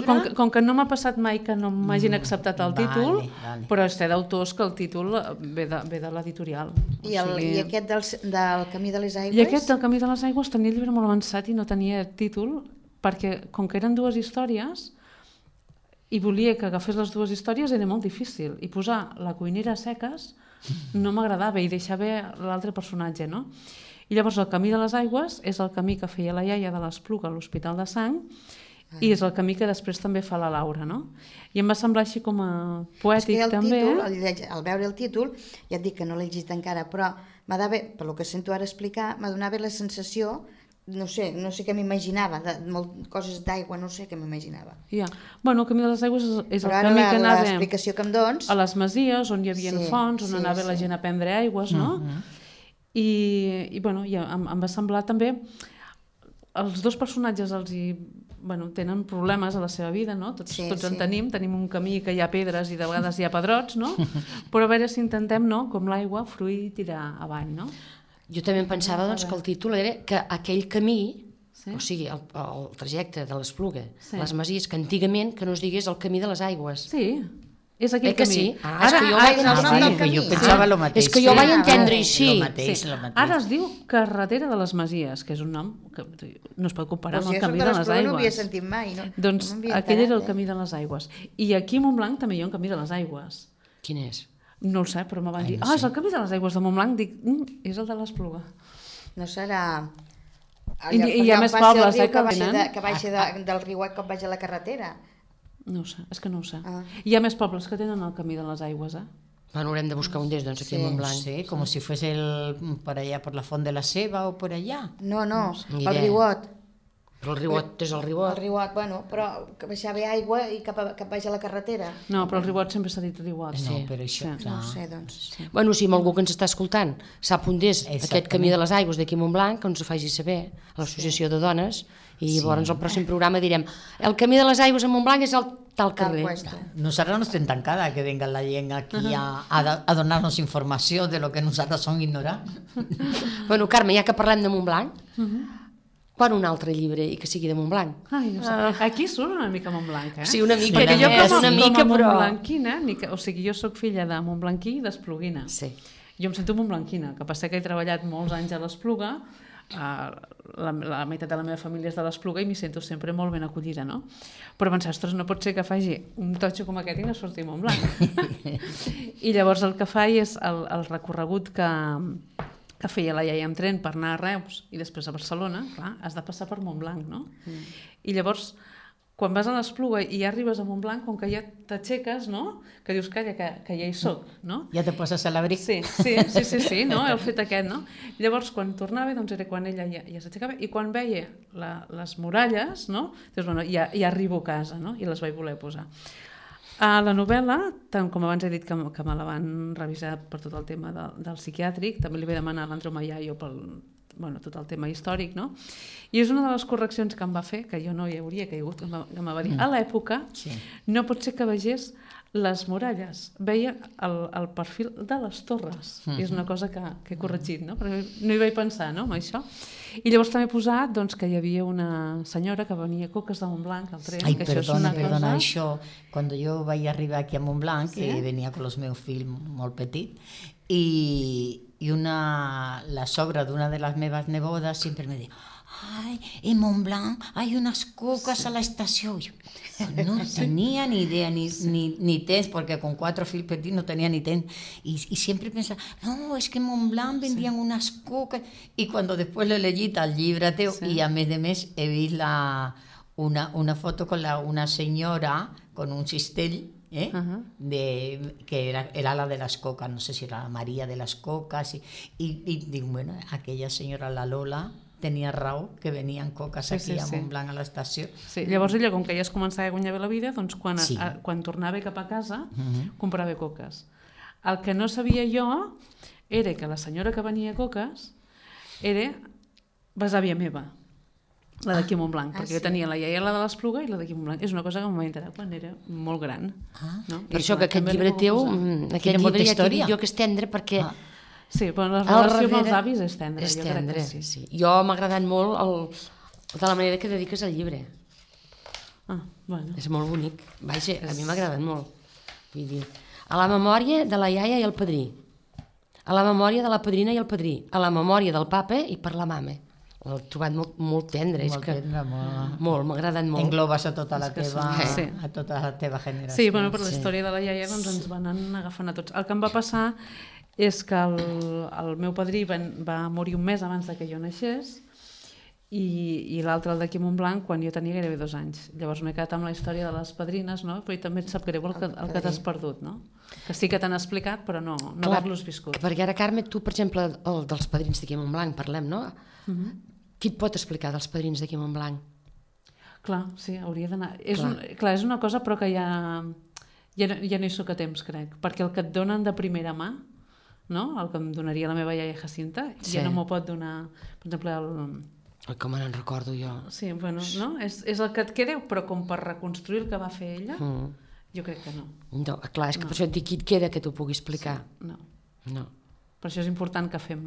com que, com que no m'ha passat mai que no m'hagin acceptat el títol, vale, vale. Però sé d'autors que el títol ve de, ve de l'editorial. I, el, o sigui... I aquest del, del Camí de les Aigües? I aquest del Camí de les Aigües tenia el llibre molt avançat i no tenia títol, perquè com que eren dues històries i volia que agafés les dues històries era molt difícil, i posar la cuinera a seques no m'agradava i deixava l'altre personatge, no? I llavors el Camí de les Aigües és el camí que feia la iaia de l'Espluga a l'Hospital de Sang ah. i és el camí que després també fa la Laura, no? I em va semblar així com a poètic el també. Títol, al, al veure el títol, ja et dic que no l'he llegit encara, però m'ha d'haver, per lo que sento ara explicar, m'ha donat la sensació, no sé, no sé què m'imaginava, coses d'aigua, no sé què m'imaginava. Ja. Bueno, el Camí de les Aigües és, és el però camí la, que anava l'explicació que em dons... a les masies, on hi havia sí, fonts, on sí, anava sí. la gent a prendre aigües, no? Uh-huh. I, i bueno, ja, em, em va semblar també els dos personatges els hi, bueno, tenen problemes a la seva vida, no? Tots, sí, tots sí. en tenim, tenim un camí que hi ha pedres i de vegades hi ha pedrots, no? Però a veure si intentem, no? Com l'aigua, fruir i tirar avall, no? Jo també em pensava doncs, que el títol era que aquell camí, sí? O sigui, el, el trajecte de l'Espluga, sí. les masies, que antigament que no es digués el Camí de les Aigües. Sí. És aquell eh que camí. sí? Ah, ara, és que jo ara, vaig, ara, sí, que jo pensava el mateix. És que jo sí. vaig entendre així. Lo mateix, sí. lo mateix. Ara es diu Carretera de les Masies, que és un nom que no es pot comparar pues amb el Camí de les Aigües. No ho havia sentit mai. No? Doncs no aquell enterat, era el Camí de les Aigües. I aquí a Montblanc també hi ha un Camí de les Aigües. Quin és? No ho sé, però me van dir, ah, oh, és el Camí de les Aigües de Montblanc. Dic, mm, és el de l'Espluga. No serà... I, i hi ha més pobles, eh, que venen. Que baixa de, del riuet com vaig a la carretera. No ho sé, és que no ho sé. Ah. Hi ha més pobles que tenen el Camí de les Aigües, eh? Bueno, haurem de buscar un d'ells, doncs, aquí sí. a Montblanc. Sí, com si fuese el, per allà, per la Font de la Ceba o per allà. No, no, pel riuet. Però el riuot és el riuot. El riuot, bueno, però que baixava aigua i cap, a, cap baix a la carretera. No, però el riuot sempre s'ha dit riuot. No, però això, Sí. clar. No ho sé, doncs. Sí. Bueno, si algú que ens està escoltant sap on és aquest Exactament. camí de les aigües d'aquí a Montblanc, que ens ho faci saber a l'Associació de Dones, i llavors al pròxim programa direm el camí de les aigües a Montblanc és el tal Tal carrer. puesto. Nosotros no estem tancada que venga la gent aquí a, a, a donar-nos informació de lo que nosaltres som ignorants. Bueno, Carme, ja que parlem de Montblanc, quan un altre llibre i que sigui de Montblanc? Ai, no sé. Aquí surt una mica Montblanc, eh? Sí, una mica, Perquè jo és com a, una mica, com a però... montblanquina, ni que, o sigui, jo sóc filla de Montblanquí i d'Espluguina. Sí. Jo em sento montblanquina, que passa que he treballat molts anys a l'Espluga, eh, la, la meitat de la meva família és de l'Espluga i m'hi sento sempre molt ben acollida, no? Però pensar, ostres, no pot ser que faci un totxo com aquest i no surti Montblanc. I llavors el que faig és el, el recorregut que, que feia la iaia amb tren per anar a Reus i després a Barcelona, clar, has de passar per Montblanc, no? Mm. I llavors, quan vas a l'Espluga i ja arribes a Montblanc, com que ja t'aixeques, no? Que dius, calla, que, que ja hi soc, no? Ja te poses a l'abric. Sí, sí, sí, sí, sí, no? El fet aquest, no? Llavors, quan tornava, doncs era quan ella ja, ja s'aixecava, i quan veia la, les muralles, no? Dius, bueno, ja, ja arribo a casa, no? I les vaig voler posar. A la novel·la, tant com abans he dit que, que me la van revisar per tot el tema de, del psiquiàtric, també li vaig demanar a l'Andreu Mayayo pel bueno, tot el tema històric, no? I és una de les correccions que em va fer, que jo no hi hauria caigut, que em va, que em va dir, a l'època Sí. no pot ser que vegés les muralles, veia el, el perfil de les torres, i és una cosa que, que he corregit, no? Perquè no hi vaig pensar, no?, amb això. I llavors també he posat doncs, que hi havia una senyora que venia a Coques de Montblanc al tren, Ai, que això és perdona, una perdona, cosa... això, quan jo vaig arribar aquí a Montblanc, Sí? que venia amb els meus fills molt petits, i, i una, la sogra d'una de les meves nebodes sempre me deia, ay, en Montblanc hay unas cocas a la estación. Yo no tenía ni idea, ni, ni, ni tens, porque con cuatro fills petits no tenía ni tens. Y, y siempre pensaba, no, es que en Montblanc vendían sí. unas cocas. Y cuando después lo leí al llibre teu, sí. y a mes de mes he vist la, una, una foto con la, una señora con un cistell, ¿eh? Uh-huh. de, que era, era la de las cocas, no sé si era la María de las cocas. Y, y, y digo, bueno, aquella señora, la Lola, tenia raó que venien coques sí, aquí sí, a sí. Montblanc a l'estació. Sí, llavors ella, com que ja es començava a guanyar bé la vida, doncs quan, Sí. a, quan tornava cap a casa, Mhm. comprava coques. El que no sabia jo era que la senyora que venia a coques era besàvia meva, la d'aquí a Montblanc, ah, perquè sí. jo tenia la iaia la de l'Espluga i la d'aquí a Montblanc. És una cosa que em va enterar quan era molt gran. Ah. No? Per això que aquest també llibre li teu, puc posar. mm, Quina aquest llibre molta ja t'he història. dit jo que és tendre perquè Ah. Sí, però la al relació amb els darrere avis és tendra, és jo tendre, crec que sí. sí. Jo m'ha agradat molt el, de la manera que dediques al llibre. Ah, bueno. És molt bonic. Vaja, a mi m'ha agradat molt. Vull dir, a la memòria de la iaia i el padrí, a la memòria de la padrina i el padrí, a la memòria del papa i per la mama. L'he trobat molt, molt tendre. Molt és que, tendre, molt... molt, m'ha agradat molt. Englobes a tota la És que teva, sí. Sí. a tota la teva generació. Sí, bueno, per la Sí. història de la iaia doncs, ens van anar agafant a tots. El que em va passar és que el, el meu padrí va, va morir un mes abans de que jo naixés i, i l'altre, el d'aquí a Montblanc, quan jo tenia gairebé dos anys. Llavors m'he quedat amb la història de les padrines, no? Però també et sap greu el que, el que t'has perdut, no? Que sí que t'han explicat, però no, no Clar, haver-los viscut. Perquè ara, Carme, tu, per exemple, el dels padrins d'aquí a Montblanc, parlem, no? Uh -huh. Qui et pot explicar dels padrins d'aquí a Montblanc? Clar, sí, hauria d'anar... És, Clar. un, clar, és una cosa però que ja, ja, no, ja no hi soc a temps, crec, perquè el que et donen de primera mà, no? El que em donaria la meva iaia Jacinta, Sí. ja no m'ho pot donar, per exemple, el... Oi, com me'n recordo jo. Sí, bueno, no? És, és el que et queda, però com per reconstruir el que va fer ella, Mm. jo crec que no. No, clar, és que No. per això et dic, qui et queda que t'ho pugui explicar? No. No. Per això és important que fem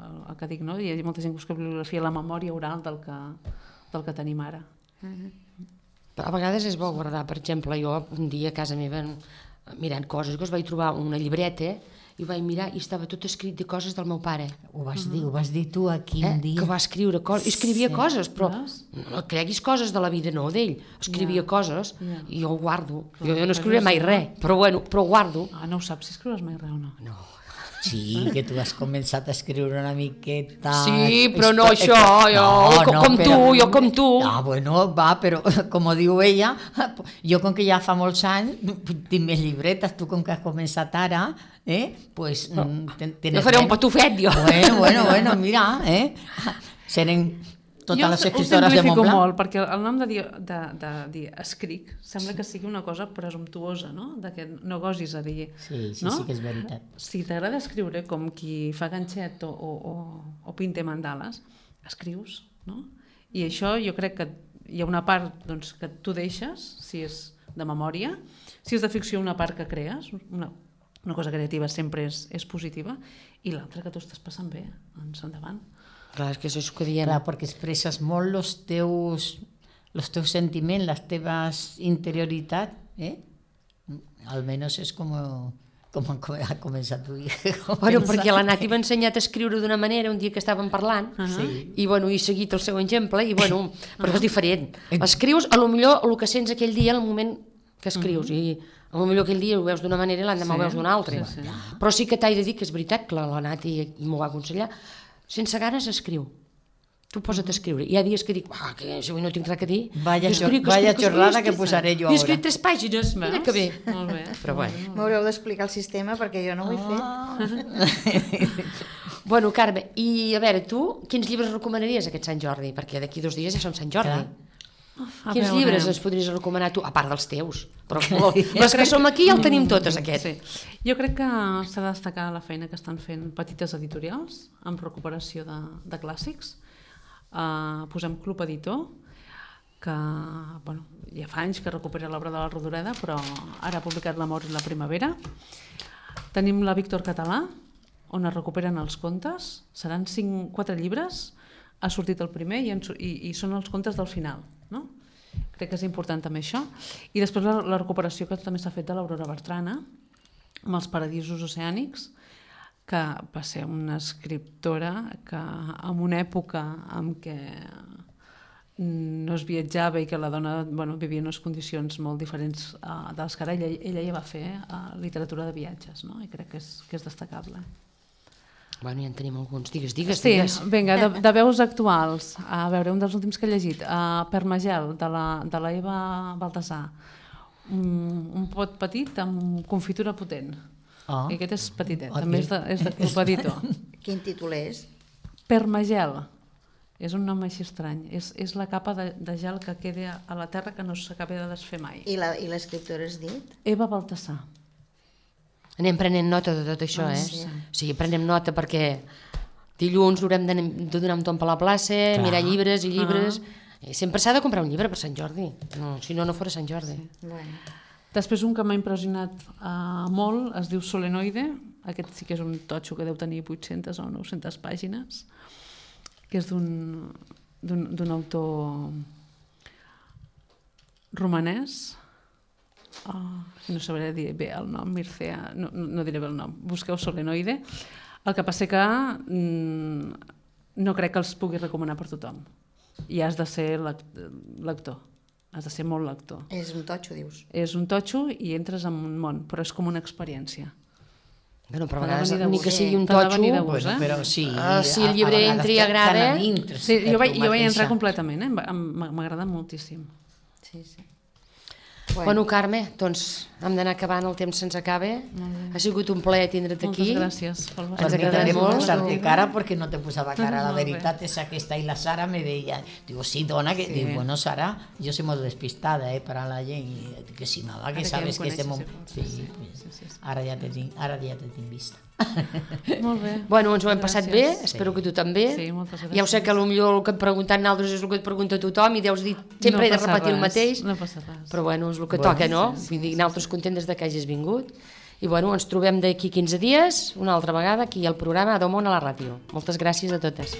el, el que dic, no? Hi ha molta gent que busca bibliografia, la memòria oral del que, del que tenim ara. A vegades és bo guardar, per exemple, jo un dia a casa meva mirant coses, que us vaig trobar una llibreta i ho vaig mirar i estava tot escrit de coses del meu pare. Ho vas dir, ho vas dir tu aquí Eh? un dia. Que va escriure coses, escrivia Sí. coses, però Veus? no creguis coses de la vida, no d'ell, escrivia Ja. coses Ja. i jo ho guardo. Clar, jo, jo no però escriuré no mai sé, res, però bueno, però ho guardo. Ah, no ho saps si escrius mai res o no? No. Sí, que tu has començat a escriure una miqueta... Sí, però no Esto- això, jo, com- com tu, jo com tu. Ah, bueno, va, però com diu ella, jo com que ja fa molts anys tinc més llibretes, tu com que has començat ara, eh, pues... No, ten, No faré un patufet, jo. Bueno, bueno, bueno, mira, eh, serem totes jo les ho escriptores de simplifico Montblanc. molt, perquè el nom de dir, de, de dir escric sembla que sigui una cosa presumptuosa, no? De que no gosis a dir... Sí, sí, no? sí que és veritat. Si t'agrada escriure com qui fa ganxet o, o, o, o pinte mandales, escrius, no? I això jo crec que hi ha una part doncs, que tu deixes, si és de memòria, si és de ficció una part que crees, una, una cosa creativa sempre és, és positiva, i l'altra que tu estàs passant bé, doncs endavant. Clar, és que això és que diem. Clar, perquè expresses molt els teus, els teus sentiments, les teves interioritats, eh? Almenys és com, com ha començat tu. Bueno, perquè la Nati m'ha ensenyat a escriure d'una manera un dia que estàvem parlant, Uh -huh. Sí. i bueno, he seguit el seu exemple, i bueno, però és diferent. Escrius, a lo millor, el que sents aquell dia, el moment que escrius, uh -huh. i a lo millor aquell dia ho veus d'una manera i l'endemà Sí, ho veus d'una altra. sí, sí. Però sí que t'he de dir que és veritat, que la, la Nati m'ho va aconsellar, sense ganes escriu. Tu posa't a escriure. Hi ha dies que dic, ah, que avui no tinc res a dir. Vaya, I escric, vaya escric, xorrada escric, que posaré jo I he escrit ara. tres pàgines, mira que bé. Molt bé. Però bueno. M'haureu d'explicar el sistema perquè jo no ho he fet. Ah. Bueno, Carme, i a veure, tu quins llibres recomanaries aquest Sant Jordi? Perquè d'aquí dos dies ja som Sant Jordi. Clar. A Quins veure. llibres ens podries recomanar tu? A part dels teus. Però les que som aquí ja el tenim totes, aquest. Sí. Jo crec que s'ha de destacar la feina que estan fent petites editorials amb recuperació de, de clàssics. Uh, posem Club Editor, que bueno, ja fa anys que recupera l'obra de la Rodoreda, però ara ha publicat L'amor i la primavera. Tenim la Víctor Català, on es recuperen els contes. Seran cinc, quatre llibres. Ha sortit el primer i, en, i, i són els contes del final, no? Crec que és important també això. I després la, la recuperació que també s'ha fet de l'Aurora Bertrana, amb els Paradisos oceànics, que va ser una escriptora que en una època en què no es viatjava i que la dona bueno, vivia en unes condicions molt diferents uh, de les que ara ella, ella ja va fer uh, literatura de viatges, no? I crec que és, que és destacable. Bueno, ja en tenim alguns. Digues, digues, Sí, digues. vinga, de, de veus actuals. A veure, un dels últims que he llegit, uh, Permagel, de la, de la Eva Baltasar. Un, un pot petit amb confitura potent. Oh. I aquest és petitet, Oh, també és de, és de Club Editor. Quin títol és? Permagel. És un nom així estrany. És, és la capa de, de gel que queda a la terra que no s'acaba de desfer mai. I la- i l'escriptora has dit? Eva Baltasar. Anem prenent nota de tot això, eh? sí. Sí, prenem nota perquè dilluns haurem de, de donar un tomb a la plaça, Clar. mirar llibres i llibres... I sempre s'ha de comprar un llibre per Sant Jordi. No, si no, no fora Sant Jordi. Bueno. Després un que m'ha impressionat uh, molt, es diu Solenoide. Aquest sí que és un totxo que deu tenir vuit-centes o nou-centes pàgines, que és d'un d'un d'un autor romanès. Oh, no sabré dir bé el nom, Mircea, no, no, no diré bé el nom. Busqueu Solenoide. El que passa que mm, no crec que els pugui recomanar per tothom. I has de ser lec- lector. Has de ser molt lector. És un totxo, dius. És un totxo i entres en un món, però és com una experiència. Bueno, però a T'ha de vegades, venir de ni gust. que sigui un T'ha de totxo... venir de gust. Bueno, eh? però sí, Ah, si el a- a llibre vegades entra i te- agrada- te n'adintres, Sí, eh, jo vaig, tu jo vaig mateixa. entrar completament, eh? Em- m'agrada moltíssim. Sí, sí. Bueno, Carme, doncs hem d'anar acabant, el temps se'ns acaba. Ha sigut un plaer tindre't Moltes aquí. gràcies pel Ens Ens vostre agrada agradaria molt. posar-te cara perquè no te posava cara. La Molt bé. veritat és aquesta. I la Sara me deia, digo, sí, dona, que... Sí. Digo, bueno, Sara, yo soy muy despistada, eh, para la gent. I que sí, nada, que Ara sabes ja que em estem... coneixes, Sí, sí, pues, sí, sí, sí. ara ja te tinc, ara ja te tinc vista. Molt bé. Bueno, ens ho hem passat bé, Gràcies. espero que tu també. Sí, moltes gràcies. Ja ho sé que potser el que et pregunten nosaltres és el que et pregunta tothom i deus dir, sempre No he de passa repetir el res, mateix, no passa res. però bueno, és el que Bueno, toca, no? sí, Vull dir, nosaltres contentes de que hagis vingut. I bueno, ens trobem d'aquí quinze dies, una altra vegada, aquí al programa Adó Món a la ràdio. Moltes gràcies a totes.